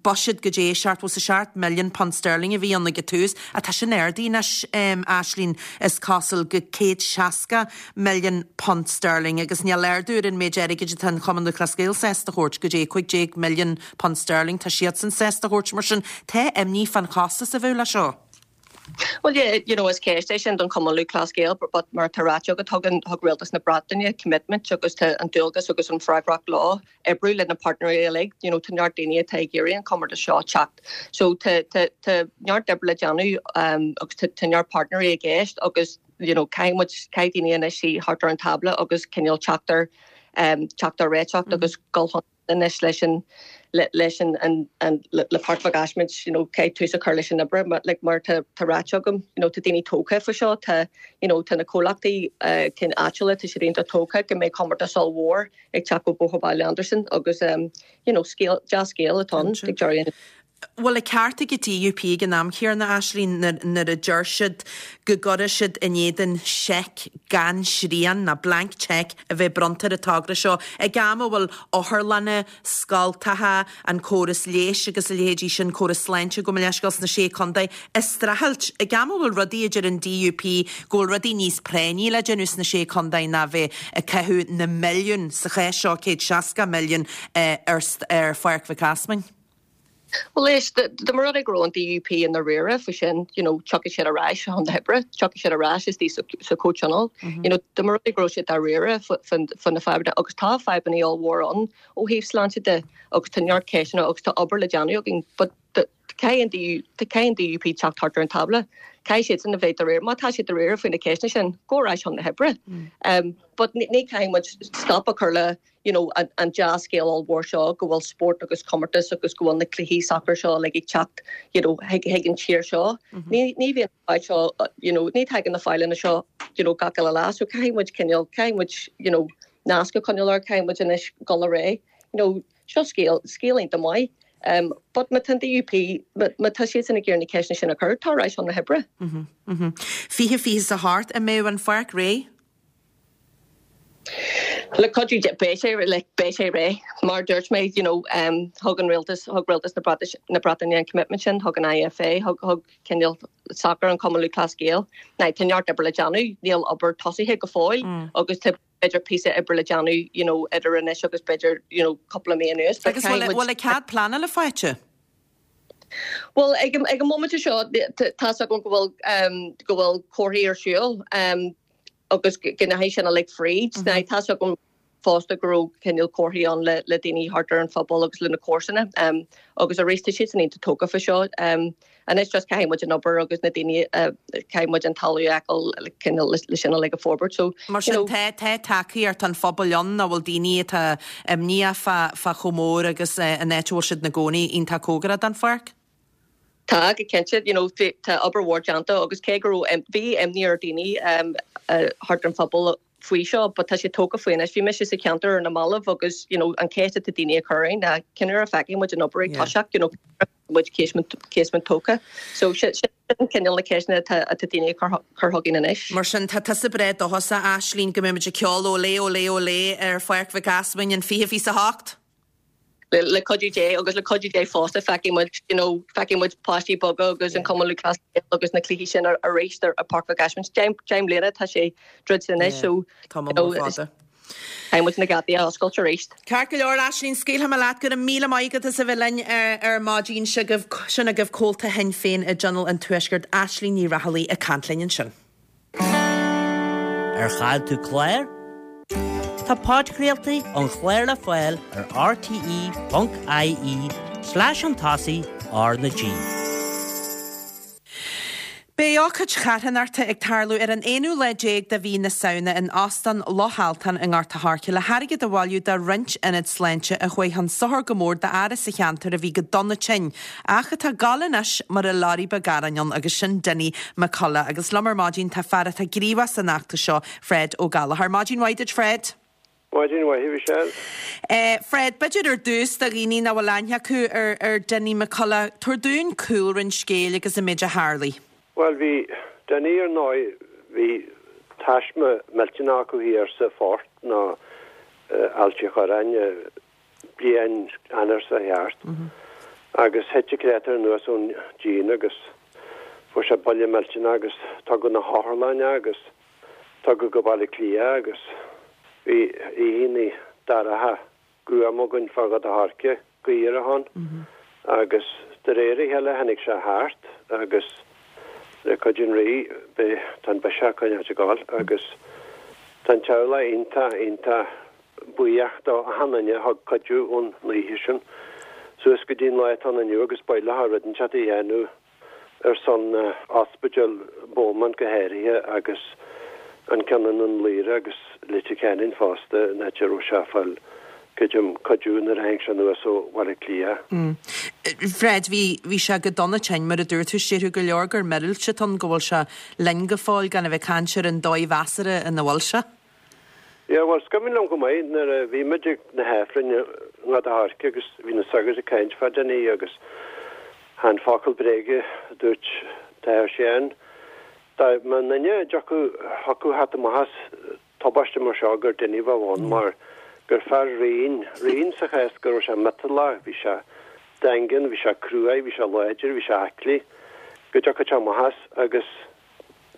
Buiséad go dtí seachtó is a seacht milliún punt sterling a bhí ann ag an tús, ach tá sin ardaithe anois, Aislínn, is cosúil, go céad seasca milliún punt sterling agus níl ardú ar an méid airgid atá an Cumann Lúthchleas Gael sásta a thabhairt, go dtí cúig déag milliún punt sterling tá siadsan sásta a thabhairt mar sin tá imní fán chostas a bheadh leis seo. Well yeah, you know, is ceist é sin don Chumann Lúthchleas Gael, but mar atá ráite agat tugann thug Rialtas na Breataine commitment agus tá an dualgas agus an freagracht leo oibriú le na páirtnéirí uilig, you know, tá neart daoine atá ag iarraidh an comórtas seo teacht. So tá tá tá neart oibre le déanamh um, agus tá tá neart páirtnéirí i gceist agus you know, caithfidh muid caithfidh daoine anois suí thart ar an tábla agus cineál teacht ar um, teacht ar réiteach agus dul chun anois leis an le, leis an, an, an le, le Páirc Mhic Ásmaint, you know, caithfidh tús a chur leis an obair mar, like, mar tá, tá ráite agam, you know, tá daoine tógtha faoi seo, tá, you know, tá na comhlachtaí uh, cinn áitiúla, tá siad iontach tógtha go mbeidh comórtas ollmhór ag teacht ó Bóthar Baile Andarsan agus um, you know, scéal, dea-scéal atá ann ag deireadh. Bhfuil an ceart ag an DUP ag an am chéanna, Aislínn, nuair a deir siad go gcuirfidh siad in éadan seic gan srian, nó blank cheque, a bheith bronnta ar an togra seo ag am a bhfuil otharlanna, scoltacha, an córas leighis agus a leithéidí sin, córas sláinte gabh mo leithscéal sna Sé Chontae, ag streachailt, ag am a bhfuil rudaí a deir an DUP go bhfuil rudaí níos práinní le déanamh sna Sé Chontae ná bheith ag caitheamh na milliún, sa chás seo céad seasca milliún, ar ar Pháirc Mhic Easmainn. Bhuel éist, dá mba rud é go raibh an DUP i ndáiríre faoi sin, you know, tiocfaidh siad ar ais chun na hoibre, tiocfaidh siad ar ais istigh sa, sa chomhthionól. You know, dá mba rud é go raibh siad dáiríre faoi na fadhbanna, agus tá fadhbanna ollmhór ann ó thaobh sláinte de, agus tá neart ceisteanna agus tá obair le déanamh againn, but caithfidh an DU, caithfidh an DUP teacht thart ar an tábla. Caithfidh siadsan a bheith dáiríre, má tá siad dáiríre faoi na ceisteanna sin, go ar ais chun na hoibre. Um, but ní, ní caithfidh muid stop a chur le you know, an, an dea-scéal ollmhór seo go bhfuil spórt agus comórtas agus go bhfuil na cluichí sacair seo like, ag teacht you know, chuig, chuig an tír seo. Mm -hmm. Ní, ní bhíonn fáil seo, you know, ní tagann na féilte seo you know, gach uile lá, so caithfidh muid cineál, caithfidh muid you know, nasc a choinneáil air, caithfidh muid anois dul ar aghaidh. You know, seo scéal, scéal iontach maith. Um, but má tá an DUP, má tá siadsan ag iarraidh na ceisteanna sin a chur, tar ar ais chun na hoibre. Mm -hmm, mm -hmm. Fiche fiche is a hocht an mbeidh an pháirc réidh? Le cuidiú beidh sé like, beidh sé réidh mar dúirt mé you know, um, thug an rialtas thug rialtas na Breatais na Breataine an commitment sin thug an IFA thug thug cineál soccer an Cumann Lúthchleas Gael Now tá neart oibre le déanamh níl obair tosaithe go fóill mm. agus tá b'fhéidir píosa oibre le déanamh you know, idir anois agus b'fhéidir you know, cúpla mí anuas. Agus bhfuil cead pleanála faighte? Well ag ag an móimint seo tá agam go bhfuil um, go bhfuil comhairliúchán ar siúl um, agus go ndeachaigh sin like fríd mm -hmm. tá agam fosta go raibh cineál comhairliúchán ann le, le daoine thart ar an phobal agus le na comharsana um, agus arís tá siad san iontach tógtha faoi seo um, anois just caithfidh muid an obair agus na daoine uh, caithfidh muid an talamh a fháil cineál le sin like a forbairt so Mar sin tá tá tacaíocht an phobail ann a bhfuil daoine atá imníoch fá fá chomh mór agus uh, an áit a bhfuil siad ina gcónaí iontach cóngarach don pháirc? Tá go cinnte you know, tá obair mhór déanta agus cé go raibh bhí imní ar daoine um, uh, thart an phobal faoi seo, but tá sé tógtha faoi anois bhí mise sa cheantar ar na mallaibh agus you know, an cheist atá daoine a chur na cén uair a fheicfidh muid an obair ag toiseacht you know, muid casement casement tógtha. So sin cineál na ceisteanna atá daoine chur chugainn anois. Mar sin tá tusa breá dóchasach Aislínn go mbeidh muid ag ceol olé olé olé ar Pháirc Mhic Easmainn an fiche fiche a hocht? Le, le cuidiú Dé agus le cuidiú Dé fosta feicfidh muid you know, feicfidh muid páistí beaga agus an Cumann Lúthchleas agus na cluichí sin ar arís ar ar Páirc Mhic Easmainn. Deich mbliana tá sé druidte anois so Tá fada. Caithfidh muid na geataí a oscailt arís. Ceart go leor Aislínn scaoilfidh mé leat go raibh míle maith agat as a bheith linn ar maidin sin agaibh comhalta Shinn Féin i dTionól an Tuaiscirt Aislínn Ní Raghallaigh ag caint linn ansin. Ar chaill tú clár? Tá podchraoltaí an chláir le fáil ar rte.ie slash an tosaigh R na G. Beidh ócáid charthanachta ag tarlú ar an aonú lá déag de mhí na Samhna in Óstán Loch Altan i nGort a' Choirce le hairgead a bhailiú do roinnt ionad sláinte a chuaigh chun sochair go mór d'fhear sa cheantar a bhí go dona tinn, ach atá ag gabháil anois mar a lorry beag aráin ann agus sin Dinny McCullough. Agus liom ar maidin tá fear atá gníomhach san fheachtas seo, Fred Ó Gallchóir. Maidin mhaith duit Fred. Maidin mhaith Michelle. Eh, Fred, b'fhéidir ar dtús do dhaoine nach bhfuil aithne acu ar ar Dinny McCullough, tabhair dúinn cúlra an scéil agus an méid a tharlaigh. Well bhí Dinny ar ndóigh bhí taisme millteanach acu thiar sa Phort nó Ailt an Chorráin bliain Eanáir seo thart. Agus thit an créatúr anuas ón díon agus fuair sé buille millteanach agus tugadh na hotharlainne agus tugadh go Baile Átha Cliath agus bhí oícheanna dorcha gruama againn fá Ghort a' Choirce gaoth ann agus de réir a chéile tháinig sé thart agus le cuidiú an Rí tá an biseach coinneáilt ag gabháil agus tá an teaghlach iontach iontach buíoch do achan duine a thug cuidiú ón oíche sin suas go dtí an lá atá ann inniu agus ba mhaith leo rud inteacht a dhéanamh ar son ospidéal Beaumont go háirithe agus an ceann i nDún Laoghaire agus Leitir Ceanainn fosta an áit a raibh sé ag fáil creidim cuidiú nuair a tháinig sé anuas ó Bhaile Átha Cliath. Fred, bhí bhí sé go dona tinn mar a dúirt tú déarfá go leor gur míorúilt atá ann go bhfuil sé linn go fóill gan a bheith ag caint ar an dóigh mheasartha ina bhfuil sé. Yeah, well, is cuimhin liom go maith nuair a bhí muid ag na hAifrinn i nGort a' Choirce agus bhí na sagairt ag caint fá Dinny agus Chan focal bréige a dúirt t-athair Séan. Dá mba duine a dtiocfadh thiocfadh theacht amach as tubaiste mar seo gur Dinny a bheadh ann mar gur fear righin, righin sa chás go raibh sé miotalach, bhí sé daingean, bhí sé cruaidh, bhí sé láidir, bhí sé aclaí, go dtiocfadh sé amach as agus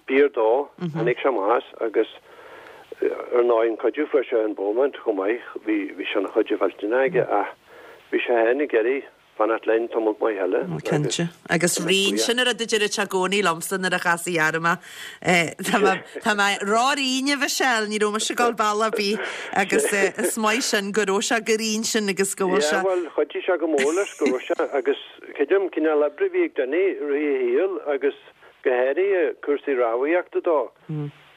b'fhíor dó, tháinig sé amach as agus ar ndóigh an cuidiú fuair sé in Beaumont chomh maith, bhí bhí sé ina chuid mhillteanach aige ach bhí sé féin ag iarraidh fanacht linn tamall maith eile. Cinnte. Agus righin, sin an rud a deireadh sé i gcónaí liomsa nuair a chasaí orm é. Tá mé tá mé ró-righin a Mhichelle, ní raibh mise ag dul bealach ar bith agus is maith sin go raibh sé chomh righin sin agus go bhfuil sé. Yeah, bhuel, chuidigh sé go mór leis go raibh sé agus creidim cineál oibre a bhí ag Dinny i rith a shaoil agus go háirithe cúrsaí rámhaíochta dó.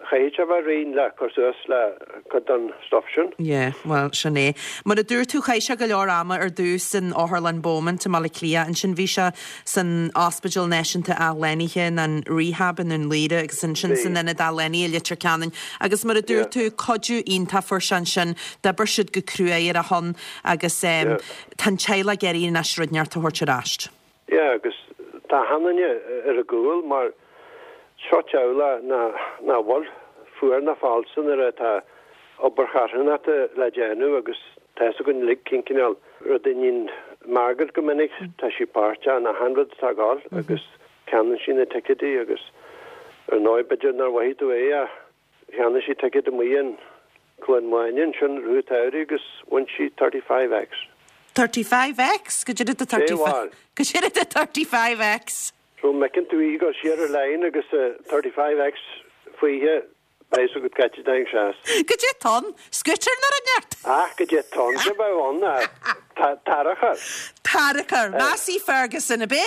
Chaithfeadh sé a bheith righin le cur suas le cuid den stuff sin. Yeah, bhuel, sin é. Mar a dúirt tú, chaith sé go leor ama ar dtús in Otharlann Beaumont i mBaile Átha Cliath, ansin bhí sé san Ospidéal Náisiúnta Athshlánaithe in an Rehab i nDún Laoghaire agus ansin san Ionad Athshlánaithe i Leitir Ceanainn. Agus mar a dúirt tú, cuidiú iontach fuair sé ansin, d'oibir siad go cruaidh ar a shon agus tá an teaghlach ag iarraidh anois rud inteacht a thabhairt ar ais. Yeah, agus tá achan duine ar a gcúl mar seo teaghlach nach bhfuil fuar ná falsa nuair atá obair charthanachta le déanamh agus tá fhios againn uilig cén cineál rud a níonn Margaret go minic, tá sí páirteach in achan rud atá ag dul agus ceannaíonn sí na ticéidí agus ar ndóigh b'fhéidir nár mhothaigh tú é ach cheannaigh sí ticéad amuigh in Cluain Mháine ansin i rith an tsamhraidh agus bhain sí thirty five X. Thirty five X? Goidé the thirty five Goidé the thirty five X? So má fheiceann tú í ag dul siar ar line agus thirty five X fúithi, beidh fhios agat cá háit a dtáinig sé as. Goidé atá ann? Scooter nó rud inteacht? Ach goidé atá ann, cé bheadh ann ach tarracóir. Tarracóir. Massey Ferguson ab é?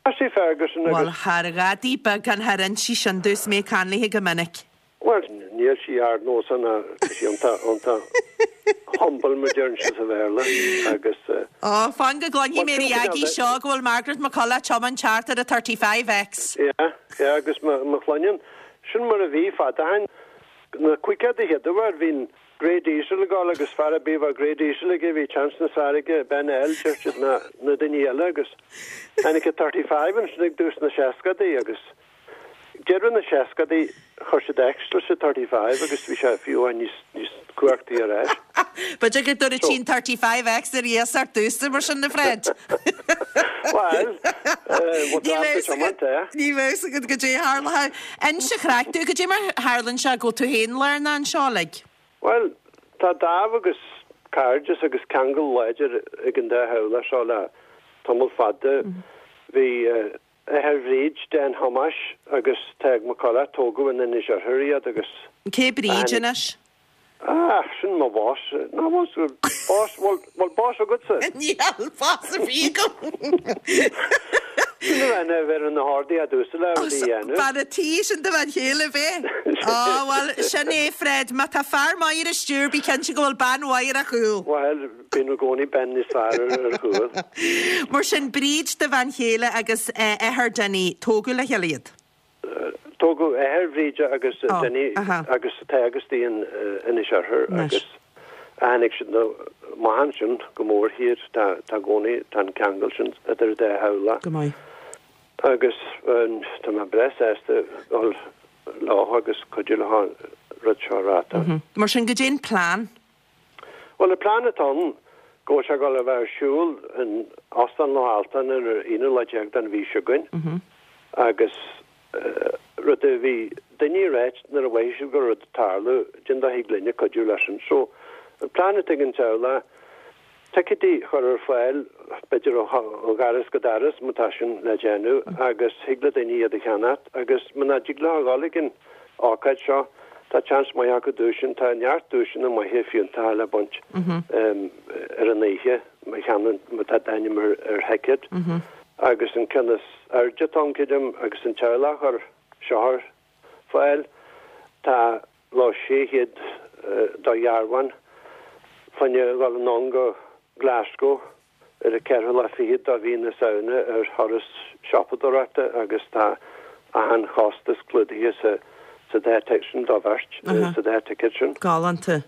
Massey Ferguson agus. Bhuel, thar ghadaí beag an thar insí sin domh is mé ag caint léi go minic. Bhuel, níl sí ardnósach ná tá sí iontach, iontach humble mar deireann siad sa Bhéarla agus. Ó, fan go gcluinfidh mé ar an agaí seo go bhfuil Margaret McCullough ag tiomáint thart ar a thirty five X. Yeah, yeah, agus má chluineann, sin mar a bhí fad ó shin. Na caogaidí an chéad uair, bhí an Grey Diesel ag dul agus fear ar bith a bheadh Grey Diesel aige, bhí chance níos fearr aige, Ben L, deir siad, ná na daoine eile agus tháinig an thirty five ansin ag dtús na seascadaí agus deireadh na seascadaí chuir siad X leis an thirty five agus bhí sé fiú amháin níos, níos cumhachtaí ar ais. B'fhéidir go dtabharfaidh sí an thirty five X ar iasacht domhsa mar sin a Fred. Bhuel, eh, Ní bheadh fhios agat, ní bheadh fhios agat goidé a tharlóidh. Inis an chraic domh, goidé mar tharlaíonn sé go bhfuil tú féin lárnach anseo uilig? Bhuel, tá dáimh agus cairdeas agus ceangal láidir ag an dá theaghlach seo le tamall fada. Bhí eh, Athair Bhríd, Dan Thomáis agus Tadhg McCullough, tógadh in Inis Oirthir iad agus. Cé Bríd anois? Ah, sin mo boss. Ná bhfuil boss, bhfuil, bhfuil boss agatsa? Níl boss ar bith agam. Sin a bhean a bheir na hardaí a dúsa le rudaí a dhéanamh. Bean a' tí sin do bhean chéile ab é? Á, bhuel, sin é, Fred, má tá fear maith ar an stiúir, bí cinnte go bhfuil bean mhaith ar a chúl. Bhuel, bíonn i gcónaí bean níos fearr ar ar chúl. Mar sin, Bríd do bhean chéile agus athair Dinny, tógadh le chéile iad? Tógadh athair Bhríde agus Dinny agus Tadhg istigh in Inis Oirthir agus tháinig siad amach ansin go mór thiar. Tá tá i gcónaí, tá an ceangal sin idir an dá theaghlach. Go maith. Agus tá mé breá sásta dul leo agus cuidiú leo an rud seo a reáchtáil. Mar sin, goidé an plean? Bhuel, an plean atá ann go bhfuil sé ag dul a bheith ar siúl in Óstán Loch Altan ar an aonú lá déag den mhí seo chugainn agus rud a bhí daoine ag ráit nuair a mhothaigh siad go raibh rud ag tarlú, cén dóigh a thig linne cuidiú leis sin. So, an plean atá ag an teaghlach, ticéidí a chur ar fáil, b'fhéidir ó dhoras go doras má tá sin le déanamh agus thig le daoine iad a cheannacht agus muna dtig leo a dhul ag an ócáid seo, tá seans maith acu duaiseanna, tá neart duaiseanna maithe fiúntacha le baint ar an oíche má cheannaíonn, má tá d'ainm ar thicéad agus an ceann is airde atá ann, creidim, agus an teaghlach a chuir seo ar fáil, tá lá sé chéad do dhearbhán fá choinne dhul anonn go Glasgow ar an ceathrú lá fichead de mhí na Samhna ar thuras siopadóireachta agus tá achan chostas clúdaithe sa sa dá ticéad sin do bheirt, sa dá ticéad sin. Galánta.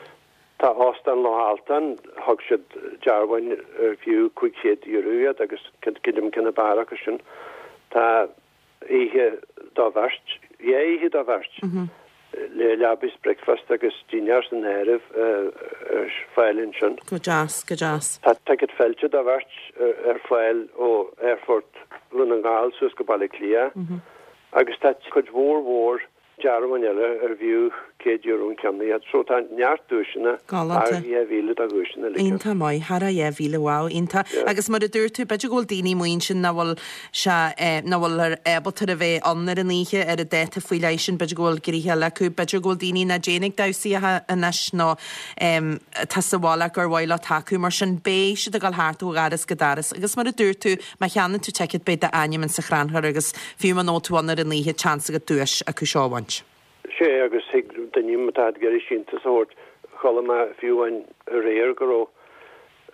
Tá Óstán Loch Altan, thug siad dearbháin ar fiú cúig chéad euro iad agus creidim cinn ab fhearr acu sin. Tá oíche do bheirt, dhá oíche do bheirt, le leaba is bricfeasta agus dinnéar san áireamh ar fáil ansin. Go deas, go deas. Tá ticéad fáilte do bheirt ar fáil ó Aerfort Dhún na nGall suas go Baile Átha Cliath agus tá cuid mhór mhór dearbháin eile ar fiú céad euro an ceann iad. So tá neart duaiseanna, thar dhá mhíle de dhuaiseanna uilig. Iontach maith, thar a dhá mhíle, wow, iontach. Agus mar a dúirt tú, b'fhéidir go bhfuil daoine amuigh ansin nach bhfuil sé, nach bhfuil ábalta a bheith ann ar an oíche, ar an dáta faoi leith sin, b'fhéidir go bhfuil gnoithe eile acu, b'fhéidir go bhfuil daoine nach dtéann ag damhsaí anois nó atá sa bhaile gur mhaith leo tacú, mar sin beidh siad ag dul thart ó dhoras go doras. Agus mar a dúirt tú, má cheannaíonn tú ticéad beidh d'ainm in sa chrannchur agus fiú muna bhfuil tú ann ar an oíche, seans agat duais acu seo a bhaint. Sea, agus thig daoine má tá ag iarraidh síntiús a thabhairt, chuala mé fiú amháin aréir go raibh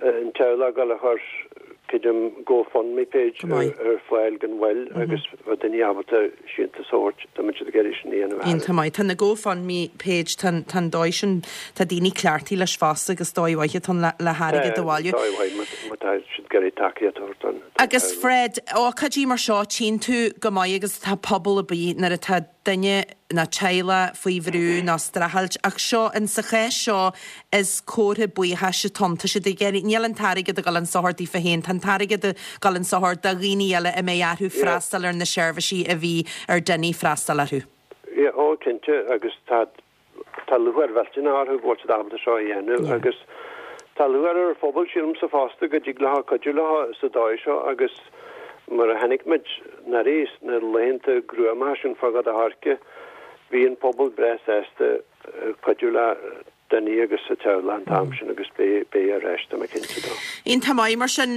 an teaghlach ag dul a chur, creidim, GoFundMe page ar fáil gan mhoill agus bheadh daoine ábalta síntiús a thabhairt dá mbeadh siad ag iarraidh sin a dhéanamh. Iontach maith. Tá na GoFundMe page, tá an dóigh sin, tá daoine cleachtaithe leis fosta agus dóigh mhaith atá ann le hairgead a bhailiú. Dóigh mhaith má tá siad ag iarraidh tacaíocht a thabhairt don. Agus Fred, ócáidí mar seo, tchíonn tú go maith agus tá pobal ar bith nuair atá duine nó teaghlach faoi bhrú nó streachailt ach seo, in sa chás seo is comhartha buíochais atá ann. Tá siad ag iarraidh, níl an t-airgead ag dul chun sochair daofa féin, tá an t-airgead ag dul chun sochair do dhaoine eile a mbeidh orthu freastal ar na seirbhísí a bhí ar Dinny freastal orthu. Yeah, ó cinnte agus tá tá lúcháir mhillteanach orthu go bhfuil siad ábalta seo a dhéanamh agus tá lúcháir ar an phobal sílimse fosta go dtig leo cuidiú leo sa dóigh seo agus mar a chonaic muid anuraidh sna laethanta gruama sin fá Gort a' Choirce, bhí an pobal breá sásta cuidiú le Dinny agus a teaghlach an t-am sin agus beidh beidh arís, tá mé cinnte dó. Iontach maith, mar sin,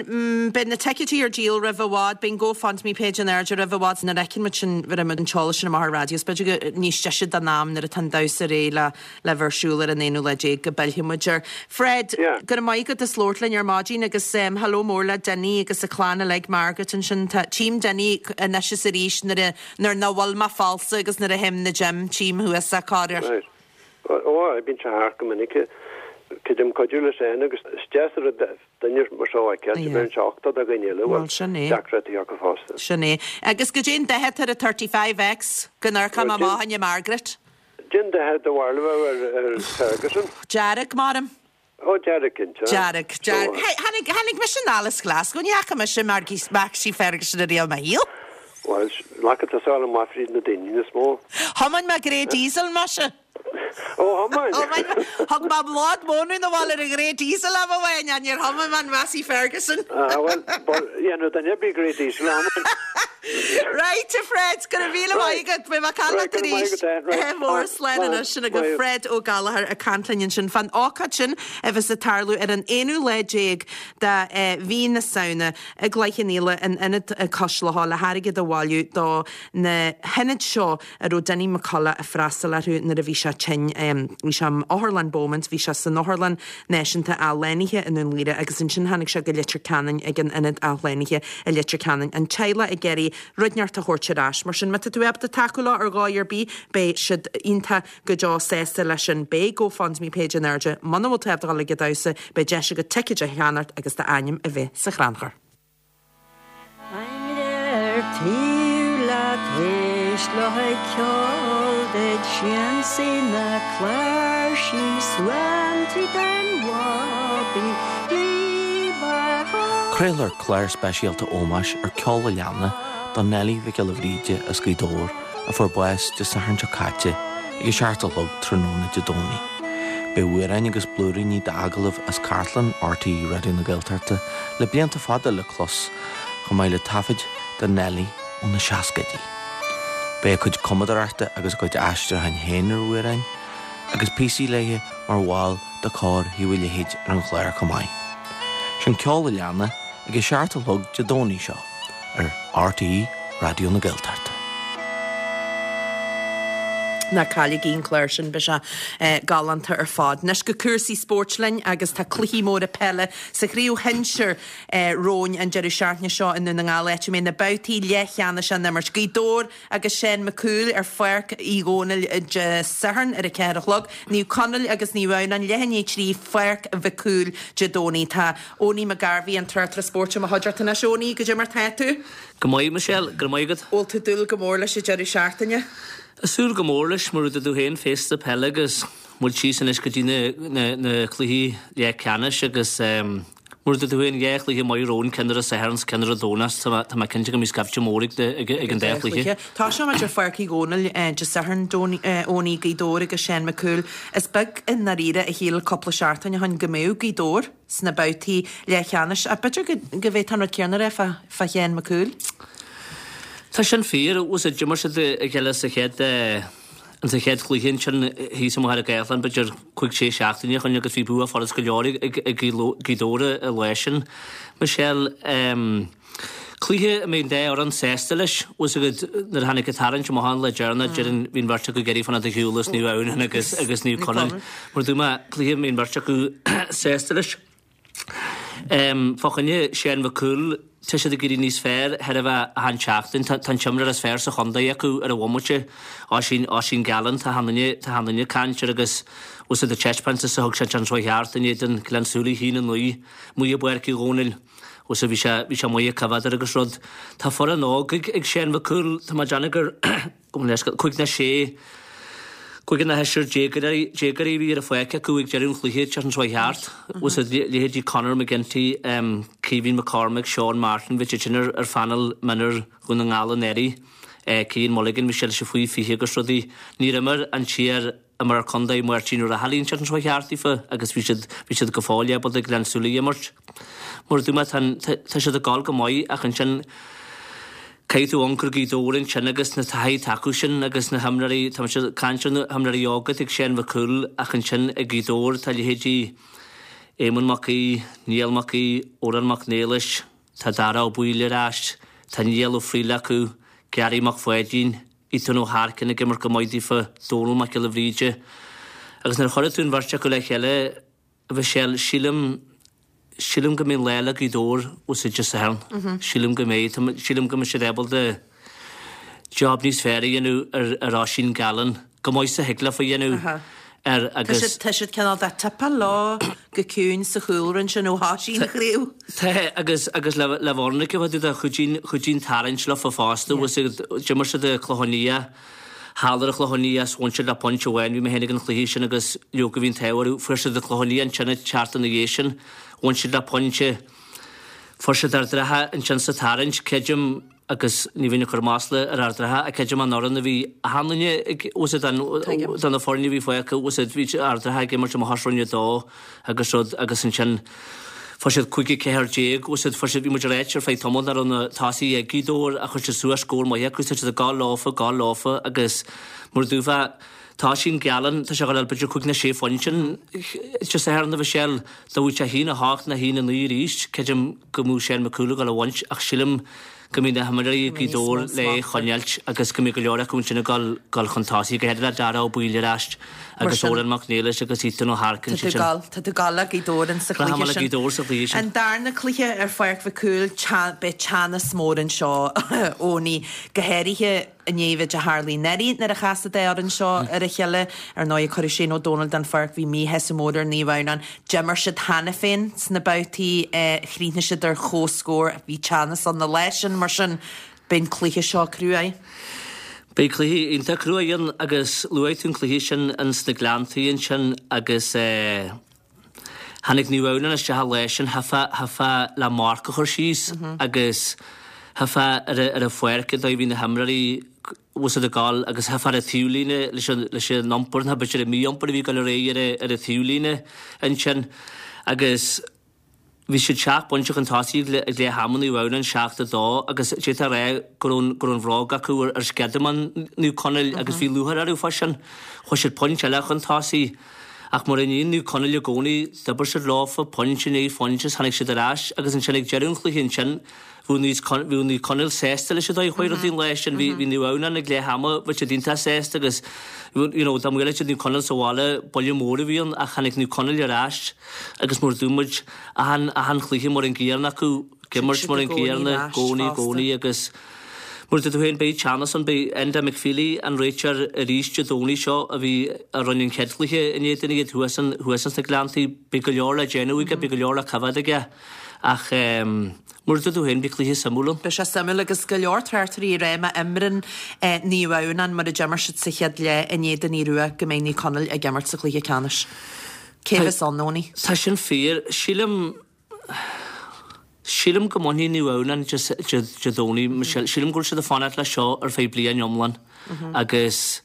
beidh na ticéidí ar díol roimh i bhfad, beidh an GoFundMe page in airde roimh i bhfad, nuair a fheiceann muid sin, bheireann muid an t-eolas sin amach ar an raidió, is b'fhéidir go níos deise don am nuair atá an damhsa réidh le le bheith ar siúl ar an aonú lá déag go bpillfidh muid air. Fred, go raibh maith agat as labhairt linn ar maidin agus hello mór le Dinny agus a clann uilig, Margaret ansin. Tá, tchím Dinny anois is arís nuair a, nuair nach bhfuil mé falsa agus nuair a théim 'na gym, tchím thuas é corruair. Right. Ó, bíonn sé thart go minic. Creidim cuidiú leis féin agus is deas an rud duine mar seo a fheiceáil, bheireann sé uchtach do dhaoine eile a bhfuil Bhuel, sin é. deacrachtaí acu fosta. Sin é. Agus goidé an dath atá ar an thirty five X go n-amharcfaidh mé amach fá choinne Margaret? Cén dath do bharúil a bheadh ar Ferguson? Dearg, maram. Ó, dearg, cinnte. Dearg, dearg. Hey, tháinig, tháinig mise anall as Glasgow, ní fhaca mise Massey Ferguson ariamh i mo shaol. Bhuel, glacann tusa amach fríd na daoine níos mó. Thiomáin mé grey diesel, maise. Ó, thiomáin? Thiomáin mé. Thug mé lad móna 'na bhaile ar an ghrey diesel am amháin, ach níor thiomáin mé an Massey Ferguson. Ah, bhuel, dhéanadh duine ar bith grey diesel a thiomáint. Right, a Fred, go raibh míle maith agat, beidh mé ag caint leat arís. Mór slán anois sin agaibh Fred Ó Gallchóir ag caint linn ansin fán ócáid sin a bheas ag tarlú ar an aonú lá déag de mhí na Samhna i gCloich Cheann Fhaola in Ionad Cois Locha le hairgead a bhailiú do na hionaid seo a raibh Dinny McCullough ag freastal orthu nuair a bhí sé tinn. Bhí sé in Otharlann Beaumont, bhí sé san Otharlann Náisiúnta Athshlánaithe i nDún Laoghaire agus ansin tháinig sé go Leitir Ceanainn ag an Ionad Athshlánaithe i Leitir Ceanainn. An teaghlach ag iarraidh rud inteacht a thabhairt ar ais. Mar sin, má tá tú ábalta tacú leo ar dhóigh ar bith, beidh siad iontach go deo sásta leis sin. Beidh GoFundMe page in airde. Muna bhfuil tú ábalta dul ag an damhsa, beidh deis agat ticéid a cheannacht agus d'ainm a bheith sa chrannchur. Táim ar taobh leat éist le haghaidh ceol duit siansaí na cláirsí suan tríd an bhabaí Craolfar clár speisialta ómóis ar Ceol a' Leanna do Neilí Mhic Giolla Bhríde as Gaoth Dobhair a fuair bás Dé Sathairn seo caite ag a seacht a chlog tráthnóna Dé Domhnaigh. Beidh amhráin agus blúiríní d'agallaimh as cartlann RTÉ Raidió na Gaeltachta le blianta fada le clos, chomh maith le taifid de Neilí ó na seascaidí. Beidh a cuid cumadóireachta agus a cuid aistriúcháin féin ar amhráin agus píosaí léi mar bhall de Chór Thaobh an Leithéid ar an chlár chomh maith. Sin Ceol a' Leanna ag a seacht a chlog Dé Domhnaigh seo ar RTÉ Raidió na Gaeltachta. Ná cailligí an clár sin beidh sé galánta ar fad. Anois go cúrsaí spóirt linn agus tá cluichí móra peile sa chraobh shinsir romhainn an deireadh seachtaine seo i nDún na nGall áit a mbeidh na babhtaí leathcheannais á n-imirt. Gaoth Dobhair agus Seán Mac Cumhaill ar Pháirc Uí Dhónaill Dé Sathairn ar a ceathair a chlog, Naomh Conaill agus Naomh Adhamhnáin leath i ndiaidh a trí Pháirc Mhic Cumhaill Dé Domhnaigh. Tá Owenie McGarvey an tráchtaire spóirt i mo chuideachta anois. Owenie, goidé mar tá tú? Go maith, Michelle, go raibh maith agat. Bhfuil tú ag dúil go mór leis an deireadh seachtaine? Ag súil go mór leis, mar a dúirt tú féin, féasta peile agus muid síos anois go dtí na na cluichí leathcheannais agus mar a dúirt tú féin, dhá chluiche maith romhainn, ceann ar an Satharn 's ceann ar an Domhnach, tá tá mé cinnte go mbeidh scaifte mór ag ag ag an dá chluiche. Tosóidh muid ar Pháirc Uí Dhónaill Dé Sathairn, Owenie, Gaoth Dobhair agus Seán Mac Cumhaill. Is beag i ndáiríre a shíl cúpla seachtain ó shin go mbeadh Gaoth Dobhair sna babhtaí leathcheannais ach b'fhéidir go go bhféadfá an rud céanna a rá fá fá Sheán Mac Cumhaill. Tá sin fíor. Bhfuil a fhios agat, d'imir siad a chéile sa chéad sa chéad chluiche ansin thíos i Machaire Gathlán b'fhéidir cúig sé seachtaine ó shin agus bhí bua furast go leor ag ag Gaoth Dobhair an lá sin. Michelle, cluiche a mbeidh an dá fhoireann sásta leis. Bhfuil a fhios agat nuair a tháinig an tarraingt amach an lá deireanach déarfainn bhí an bheirt acu ag iarraidh fanacht ar shiúl as Naomh Adhamhnáin agus agus Naomh Conaill. Mar a dúirt mé, cluiche a mbeidh an bheirt acu sásta leis. Fá choinne Seán Mhic Cumhaill, tá siad ag éirí níos fearr thairbhe achan tseachtain. Tá an t-imreoir is fearr sa chontae acu ar an bhomaite, Oisín, Oisín Gallen. Tá achan duine, tá achan duine ag caint air agus bhfuil a fhios agat an taispeántas a thug sé an tseachtain seo thart in éadan Gleann tSúilí a haon a naoi, amuigh i bPáirc Uí Dhónaill. Bhfuil a fhios agat bhí sé, bhí sé maith ag coimhéad air agus rud. Tá foireann óg ag, ag Seán Mhic Cumhaill, tá mé ag déanamh gur, gabh mo leithscéal, cúig nó sé, Cúigear nó seisear déagóirí a bhí ar an pháirc acu ag deireadh an chluiche an tseachtain seo thart. Bhfuil a fhios agat leithéidí Conor McGinty, Caoimhín McCormack, Seán Martin, bhí siad sin ar phainéal mionúir Dhún na nGall anuraidh. Cian Mulligan, bhí sé leis an faoi fiche agus rudaí. Níor imir an t-iar imreoir contae Máirtín Ó Raghallaigh an tseachtain seo thart daofa agus bhí siad bhí siad go fóill ábalta Gleann tSúilí a imirt. Mar a dúirt mé, tá tá siad ag dul go maith ach ansin, Caithfidh tú amharc ar Ghaoth Dobhair ansin agus na taithí atá acu sin agus na himreoirí, tá mise ag caint ar na himreoirí óga atá ag Seán Mhic Cumhaill ach ansin ag Gaoth Dobhair tá leithéidí Éamonn Mac Aoidh, Niall Mac Aoidh, Odhrán Mac Niallais, tá Dara Ó Baoill ar ais, tá Niall Ó Frighil acu, Gary Mac Pháidín, Ethan Ó hEarcáin ag imirt go maith daofa, Dónal Mac Giolla Bhríde. Agus nuair a chuirfidh tú an bheirt acu le chéile, a Mhichelle, sílim, sílim go mbeidh an lá le Gaoth Dobhair os Dé Sathairn. Sílim go mbeidh. Sílim go mbeidh siad ábalta job níos fearr a dhéanamh ar ar Oisín Gallen, go maith is a thig leofa a dhéanamh air agus. Tá siad cineál de tipeáil leo go ciúin sa chúlra ansin ó thosaigh an chraobh. Tá, agus agus le le bhfóirne a bheith de chuidín chuidín tarraingt leofa fosta, bhfuil a fhios agat, d'imir siad i Clochán Liath, thall ar an Chlochán Liath is bhain siad le pointe amháin, bhí mé féin ag an chluiche sin agus leoga bhí an t-ádh orthu, fuair siad an Clochán Liath ansin an tseachtain ina dhiaidh sin, bhain siad le pointe, fuair siad Ard an Rátha ansin sa tarraingt, creidim, agus ní bheinn ag cur masla ar Ard an Rátha ach creidim an fhoireann a bhí achan duine ag, bhfuil a fhios agat, de na foirne a bhí fágtha, bhfuil a fhios agat, bhí Ard an Rátha ag imirt amach as Roinn a Dó agus rud agus ansin fuair siad cúig a ceathair déag, bhfuil a fhios agat, fuair siad, bhí muid ag ráit ar feadh tamaill nach raibh na tosaithe ag Gaoth Dobhair ach chuir siad suas scór maith acu, tá siad ag gabháil leofa, gabháil leofa agus mar a dúirt mé, tá Oisín Gallen, tá sé ag gabháil b'fhéidir cúig nó sé phointe Dé Sathairn a Mhichelle, dá bhfaigheadh sé a haon a hocht nó a haon a naoi arís, creidim go mbeadh Seán Mac Cumhaill ag gabháil a bhaint ach sílim go mbeidh na himreoirí ag Gaoth Dobhair le é choinneáilt agus go mbeidh go leor acu ansin ag dul chun tosaigh, go háirithe le Dara Ó Baoill ar ais agus Odhrán Mac Niallais agus Ethan Ó hEarcáin. Tá tú ag gabháil, tá tú ag gabháil le Gaoth Dobhair insa chluiche sin. Gaoth Dobhair sa chluiche sin. An darna cluiche ar Pháirc Mhic Cumhaill, beidh teannas mór anseo, Owenie, go háirithe i ndiaidh an mhéid a tharlaigh anuraidh nuair a chas an dá fhoireann seo ar a chéile. Ar ndóigh, cuireadh Shane Ó Dónaill den pháirc, bhí míshásamh mór ar Naomh Adhamhnáin. D'imir siad cheana féin sna babhtaí, chríochnaigh siad ar comhscór, bhí teannas ann an lá sin, mar sin beidh an cluiche seo cruaidh. Beidh cluiche iontach cruaidh ann agus luaigh tú an cluiche sin ins na Gleanntaí ansin agus eh, tháinig Naomh Adhamhnáin isteach an lá sin, theipfeá, theipfeá le marc a chur síos agus theipfeá ar a, ar an pháirc an dóigh a bhí na himreoirí bhfuil a fhios agat ag gabháil agus theipfeá ar an taobhlíne leis an, leis an iompar, nó b'fhéidir an mí-iompar a bhí ag dul ar aghaidh ar a, ar an taobhlíne ansin agus bhí siad seacht bpointe chun tosaigh ag ag leath ama Naomh Adhamhnáin, seacht a dó agus d'fhéadfá a rá go raibh an, go raibh an bhróg acu ar, ar sceadamán Naomh Conaill agus bhí lúcháir orthu fá sin. Chuaigh siad pointe eile chun tosaigh ach mar a níonn Naomh Conaill i gcónaí, d'oibir siad leofa, pointe i ndiaidh phointe is tháinig siad ar ais agus ansin ag deireadh an chluiche ansin, Bhí Naomh Conaill sásta leis an dóigh a chuaigh rudaí an lá sin. Bhí Naomh Adhamhnáin ag leath ama, bhí siad iontach sásta agus you know dá mbuailfeadh siad Naomh Conaill sa bhaile, buille mór a bhí ann ach tháinig Naomh Conaill ar ais agus mar a dúirt muid, achan achan chluiche mar an gcéanna acu, ag imirt mar an gcéanna, i gcónaí, i gcónaí agus mar a dúirt tú féin, beidh teannas ann, beidh Enda McFeely an réiteoir arís Dé Domhnaigh seo a bhí a rinne an chéad chluiche in éadan iad thuas thuas ins na Gleanntaí, beidh go leor le déanamh aige, beidh go leor le coimhéad aige ach mar a dúirt tú féin, beidh cluiche suimiúil ann. Beidh sé suimiúil agus go leor tráchtairí ag rá má imríonn Naomh Adhamhnáin mar a d'imir siad sa chéad leath in éadan Aodh Rua go mbeidh Naomh Conaill ag imirt sa chluiche ceannais. Cé bheas ann, Owenie? Tá sin fíor. Sílim, sílim go mbainfidh Naomh Adhamhnáin Dé Domhnaigh. Michelle. Sílim go bhfuil siad ag fanacht leis seo ar feadh bliain iomlán agus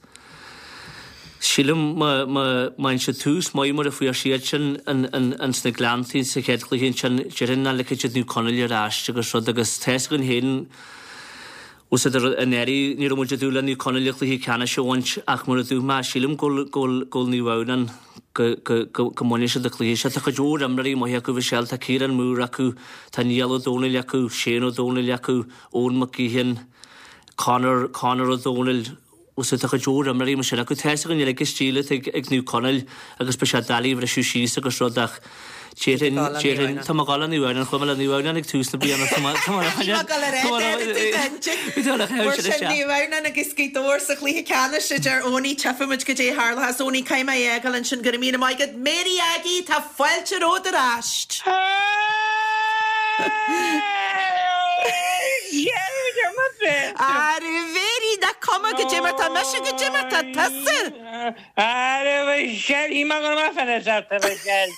sílim má fhaigheann siad tús maith mar a fuair siad sin ins na Gleanntaí sa chéad chluiche ansin, déarfainn nach ligfidh siad Naomh Conaill ar ais agus rud agus tá fhios againn féin bhfuil siad anuraidh, ní raibh muid ag dúil le Naomh Conaill an cluiche ceannais a bhaint ach mar a dúirt mé, sílim go bhfuil Naomh Adhamhnáin go go go mbainfidh siad an cluiche seo. Tá cuid mhór imreoirí maithe acu, Michelle, tá Ciarán Moore acu, tá Niall Ó Dónaill acu, Shane Ó Dónaill acu, Eoin McGeehan, Conor Conor Ó Dónaill, bhfuil tá cuid mhór imreoirí mar sin acu. Tá fhios againn uilig an stíl atá ag Naomh Conaill agus beidh sé doiligh a bhriseadh síos agus rud ach déarfainn, déarfainn, tá mé ag dul le Naomh Adhamhnáin, chuaigh mé le Naomh Adhamhnáin ag tús na bliana, tá mé, tá mé, tá mé, Mar sin Naomh Adhamhnáin agus Gaoth Dobhair sa chluiche ceannais a deir Owenie, tchífidh muid goidé a tharlóchas. Owenie, caithfidh mé a fhágáil ansin, go raibh míle maith agat. Mary Aggie, tá fáilte romhat ar ais. Ara Mary, nach cuma goidé mar tá mise goidé mar tá tusa. Ara Michelle, shíl mé go raibh mé fada seachtain a Mhichelle.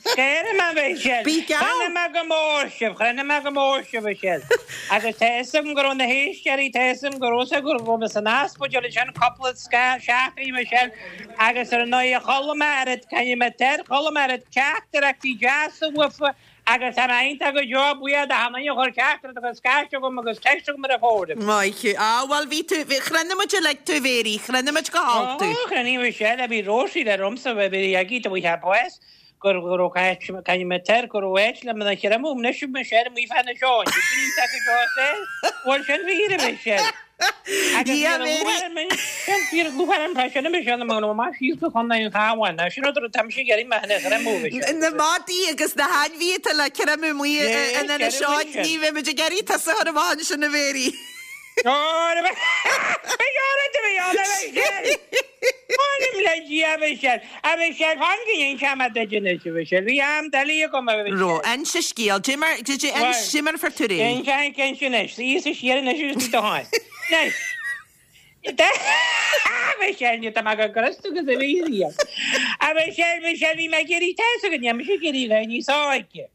Scaoilfidh mé a Mhichelle. Bí geall. Chronaigh mé go mór sibh, chronaigh mé go mór sibh a Mhichelle. Agus tá fhios agam go raibh na héisteoirí, tá fhios agam go raibh fhios acu go raibh mé san ospidéal ansin cúpla seachtain a Mhichelle agus ar ndóigh chuala mé oiread, caithfidh mé air, chuala mé oiread teachtaireachtaí deasa uafa Agus tá mé iontach go deo buíoch do achan duine a chuir teachtaireacht agus scaifte chugam agus text chugam ar an bhfóram. Maith thú. Á, bhuel, bhí tú, bhí, chronaigh muid uilig tú, Mhéirí, chronaigh muid go halt tú. Ó, chronaigh Michelle, bhí Róisín ar ormsa, bhí bhí agaí do bhí sé bás, gur go raibh caint, caint mé tar, go raibh áit le mna chreimeadh, anois Michelle amuigh fá na seoin, bhí sin iontach go deo saor, bhuel sin fíor a Michelle. Agus Dhia, bhí Mhéirí. lúcháir orm, bhí lúcháir orm freisin a Michelle, nó nó amach síos go Contae an Chabháin, ná sin rud a raibh taimse ag iarraidh mé a chreimeadh, Michelle. Na madaí agus na hainmhithe atá le creimeadh amuigh Yes, in Inis ceithre Eoghain, Michelle. ní bheidh muid ag iarraidh tusa a chur amach ansin a Mhéirí. Ó, beidh orainn a bheith ann, a Michelle! M'anam le Dia, a Michelle! A Michelle, fan go n-inseoidh mé duit anois, a Michelle. Bhí am doiligh agam, a Michelle. Ro, inse scéal. Dé mar, dé dé ins, dé mar a fuair tú réidh. Inse, inse anois. Suigh siar anois agus bí do sháith. Anois. A Michelle, ní tá mé go gcrios agus a bhí riamh. A Michelle, Michelle, bhí mé ag iarraidh, tá fhios agat, níl mise ag iarraidh a bheith níos óige.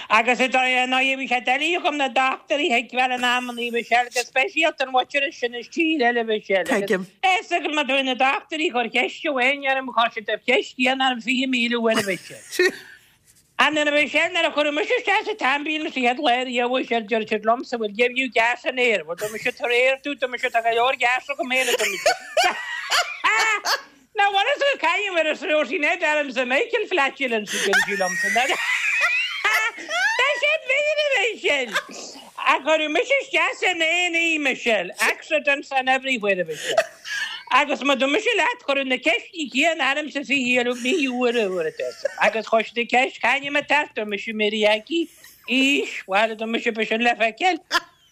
Agus i ndóigh bhí sé doiligh agam na dochtúirí a thuigbheáil in amannaí, Michelle, go speisialta an mhuintir sin as tír eile, Michelle. Agus Tuigim. fhios agat má tá na dochtúirí ag cur ceist amháin orm, chuir siad an cheist chéanna orm fiche míle uair, Michelle. And then, Michelle, nuair a cuireadh mise isteach sa t-ambulance an chéad lá riamh, Michelle, deir siad liomsa, we'll give you gas and air. Well, dúirt mise, tar air tú, dúirt mise, tá go leor gas agam féin, a dúirt mise. Now what is it caim ar a sreo sin é dearimsa Michael flatulence a deir sí liomsa. Tá sé mhíle é sin! A cuireadh mise isteach san A and E, Michelle, accidents and everywhere a Michelle. Agus má dúirt mise leat, cuireadh na ceisteanna céanna ormsa fiche míle uair a uair a deir. Agus chuir siad an ceist cá hainm atá ort, dúirt mise Mary Aggie, aois, bhuel dúirt mise b'shin le feiceáil,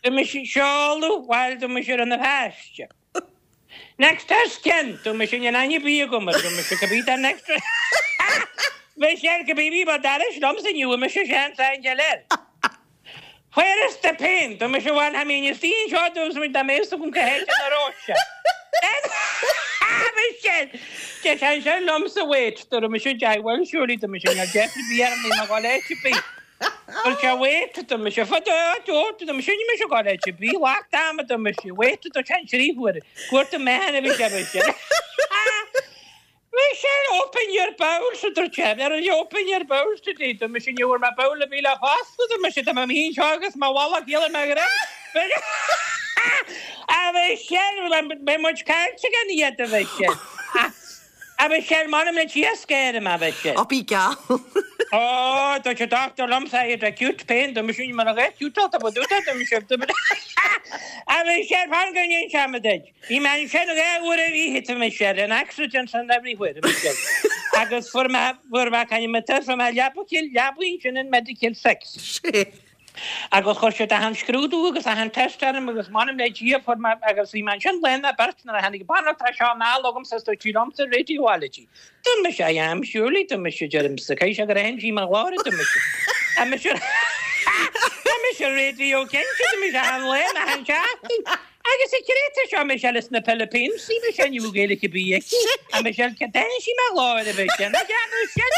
dúirt mise seoladh, bhuel dúirt mise Rann na Feirste. Next of kin, dúirt mise níl aithne ar bith agam air, dúirt mise cibé tá next Michelle cibé bhí ba dairis liomsa ní bhfuair mise seans aon air. Where is the pain? Dúirt mise bhuel tha mi istigh anseo dúirt mise dá mbeadh fhios agam cá háit ina raibh sé. Michelle Deir sé ansin liomsa wait dúirt mise deich bhuel surely dúirt mise níl deifir ar bith orm níl mé ag dul áit ar bith. Dúirt sé wait dúirt mise fad dúirt dúirt mise níl mise ag dul áit ar bith lucht ama dúirt mise wait dúirt sé an trí huaire cuarta meáin a bhí sé mise Michelle open your bowels a dúirt sé ar an open your bowels today dúirt mise ní bhfuair mé bowel ar bith le foscladh dúirt mise tá mé féin seo agus mo mhalach ghéar ar mo dhroim A Michelle beidh muid caillte gan iad a Michelle A Michelle m'anam le Dia scair mé a Michelle Ó bí geall. Ó, dúirt an dochtúir liomsa, I had acute pain, dúirt mise, ní mar a bheadh acute tá ba dúta, dúirt mise, a Mhichelle, fan go n-inseoidh mé duit. Bhí mé ansin dhá uair ar oíche, a Mhichelle, in accidents and everywhere, a Mhichelle. Agus fuair mé, fuair mé, caithfidh mé, fuair mé leaba, leaba ansin in Medical Six. Agus chuir siad achan scrúdú agus achan test orm agus m'anam le Dia fuair mé agus bhí mé ansin lá nó beirt nuair a tháinig banaltra seo anall agamsa is dúirt sí liomsa radiology. Dúirt mise I am surely dúirt mise deirimse caithfidh sé gur aithin sí mo ghlór a dúirt mise. Tá mise Tá mise radio cinnte dúirt mise achan lá achan seachtain. Agus an créatúr seo Michelle as na Philippines sí mise ní bhfuil Gaeilge ar bith aici. A Michelle cad d'aithin sí mo ghlór a Mhichelle nach gceann sin.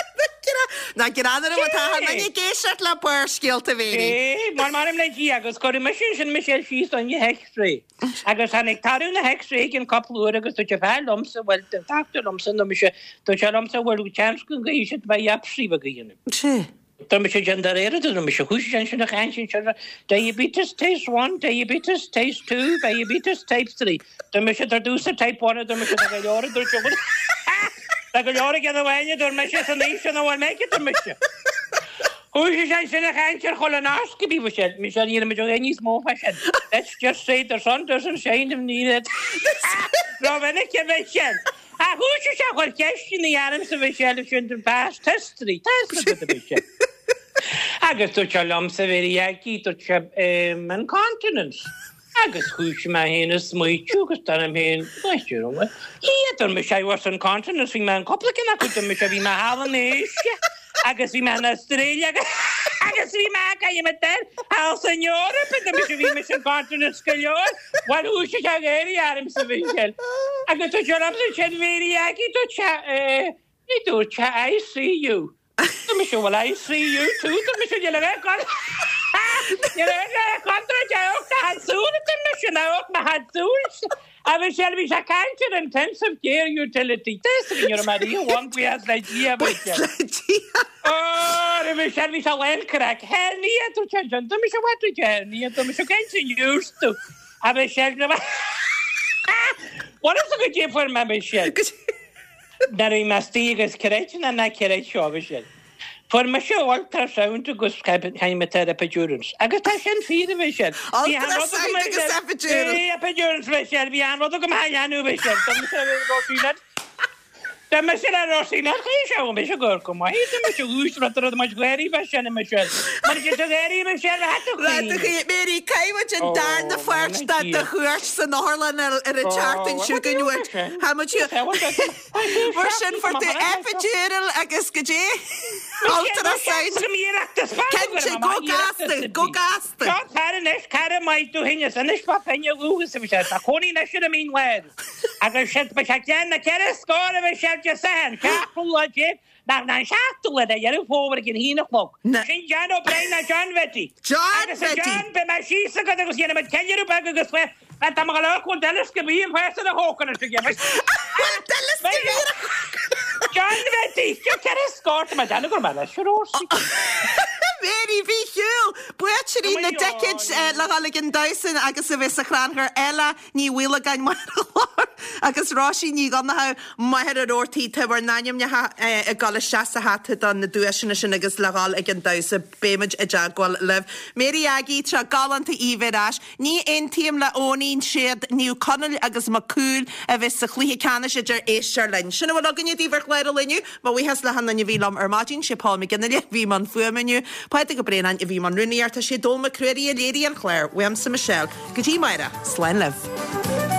Ná greannmhar atá an duine ag éisteacht le Barrscéalta Mhéirí. É, mar m'anam le Dia agus cuireadh mise ansin Michelle síos don X-ray. Agus tháinig toradh na X-ray i gcionn cúpla uair agus dúirt an fear liomsa, bhuel, an dochtúir liomsa nó mise, dúirt sé liomsa, bhuel, seans go gcaithfidh siad biopsy a dhéanamh. Sea. Dúirt mise déan de réir a dúirt mise, chuaigh sé ansin a chaint ansin, diabetes type one, diabetes type two, diabetes type three. Dúirt mise dar dtús type one a dúirt mise tá go leor a dúirt sé, tá go leor ag déanamh uainne a dúirt mise san aois sin a bhfuil mé aici a dúirt mise. Chuaigh sé ansin a chaint ar colonoscopy Michelle, Michelle ní raibh muid ag níos mó fá sin. Let's just say the sun doesn't shine in the Rómhinic a Michelle. Ach chuaigh sé a chur ceisteanna ormsa Michelle sin den past history. Tá a fhios agat a Mhichelle. Agus dúirt sé liomsa Mhéirí Aggie, dúirt sé incontinence. Agus chuaigh mé féin ag smaoitiú agus dar liom féin, Ia, dúirt mise I was incontinence, bhí mé in cúpla ceann acu, dúirt mise bhí mé thall in Asia agus bhí mé in Australia agus bhí mé ag thall san Eoraip, dúirt mise bhí mise incontinence go leor. Bhuel chuaigh sé ag éirí ormsa Mhichelle. Agus dúirt sé liomsa sin Mhéirí Aggie, dúirt sé, ní dúirt sé I see you. Dúirt mise well I see you too, dúirt mise níl a bheith gan níl a bheith contráilte amharc na hAdsúil dúirt mise ná amharc na hAdsúil. A Mhichelle bhí sé ag caint ar intensive care utility. Tá a fhios againn ar Maria One buíochas le Dia Buíochas le Dia. Ó, a Mhichelle bhí sé lán craic. Hernia dúirt sé ansin, dúirt mise what dúirt sé hernia, dúirt mise caint an used to. A Mhichelle Bhuel is go dtí fuair mé Michelle. Nuair a bhí mé istigh agus creid nó ná creid seo a Mhichelle. Fuair mise ultrasound agus chaith mé tar epidurals. Agus tá sin fíor a Mhichelle. Bhí an rud agam Ultrasound agus epidurals. Bhí epidurals Mhichelle, bhí an rud agam a dhéanamh Mhichelle. Tá mise le Róisín Tá mise le Róisín ar chaoi seo mise go go maith tá mise ús rud rud muid ghéirí bheith sin Michelle. Mar go do ghéirí Michelle a hat Rud a chaoi Mary caithfidh muid an darna pháirt de do chuairt san otharlann ar ar an tseachtain seo chugainn uait. Tá muid Mar sin fuair tú epidural agus go dtí ultrasound. Cinnte, go gasta, go gasta. Seo cara anois, cara maith tú féin is anois fá choinne dhúchas a bhí sé. Tá cónaí anois ar an Mín Láir. Agus sin ba sé ceann na ceithre scór a bhí sé de Sathairn, seachtú lá déag, nach ná an seachtú lá de Dheireadh Fómhair ag an haon a chlog. Sin John O'Brien ná John Bhetty. John Agus a Bhetty. John, beidh mé síos agat agus dhéanfaidh muid ceiliúradh beag agus fé tá mo ghlór chun duileasca bhí an féasta a thógann is aige. Bhuel, duileasca bhí ar a John Bhetty, seo ceithre scór tá mé ag déanamh go raibh mé leis ar Róisín. Mary Mhichíl, buaiteoirí na dticéid le dhul ag an damhsa agus a bheith sa chrannchur Ella Ní Mhaolagáin máthair an chláir agus Róisín Ní Dhonnchadha máthair an Rabhartaigh tá bhur n-ainmneacha ag dul isteach sa hata do na duaiseanna sin agus le dhul ag an damhsa beimid i dteagmháil libh. Mary Aggie, tá galánta í bheith ar ais. Ní aontaím le Eoinín siad Naomh Conaill agus Mac Cumhaill a bheith sa chluiche ceannais idir éistear linn. Sin a bhfuil againne daoibh ar chlár an lae inniu. Mo bhuíochas le hachan duine a bhí liom ar maidin, sé Paul McGinley a bhí i mbun fuaime inniu, Pádraig Ó Braonáin a bhí i mbun rúnaíochta, sé Dónall Mac Ruairí a léirigh an clár, uaimse Michelle. Go dtí amárach, slán libh.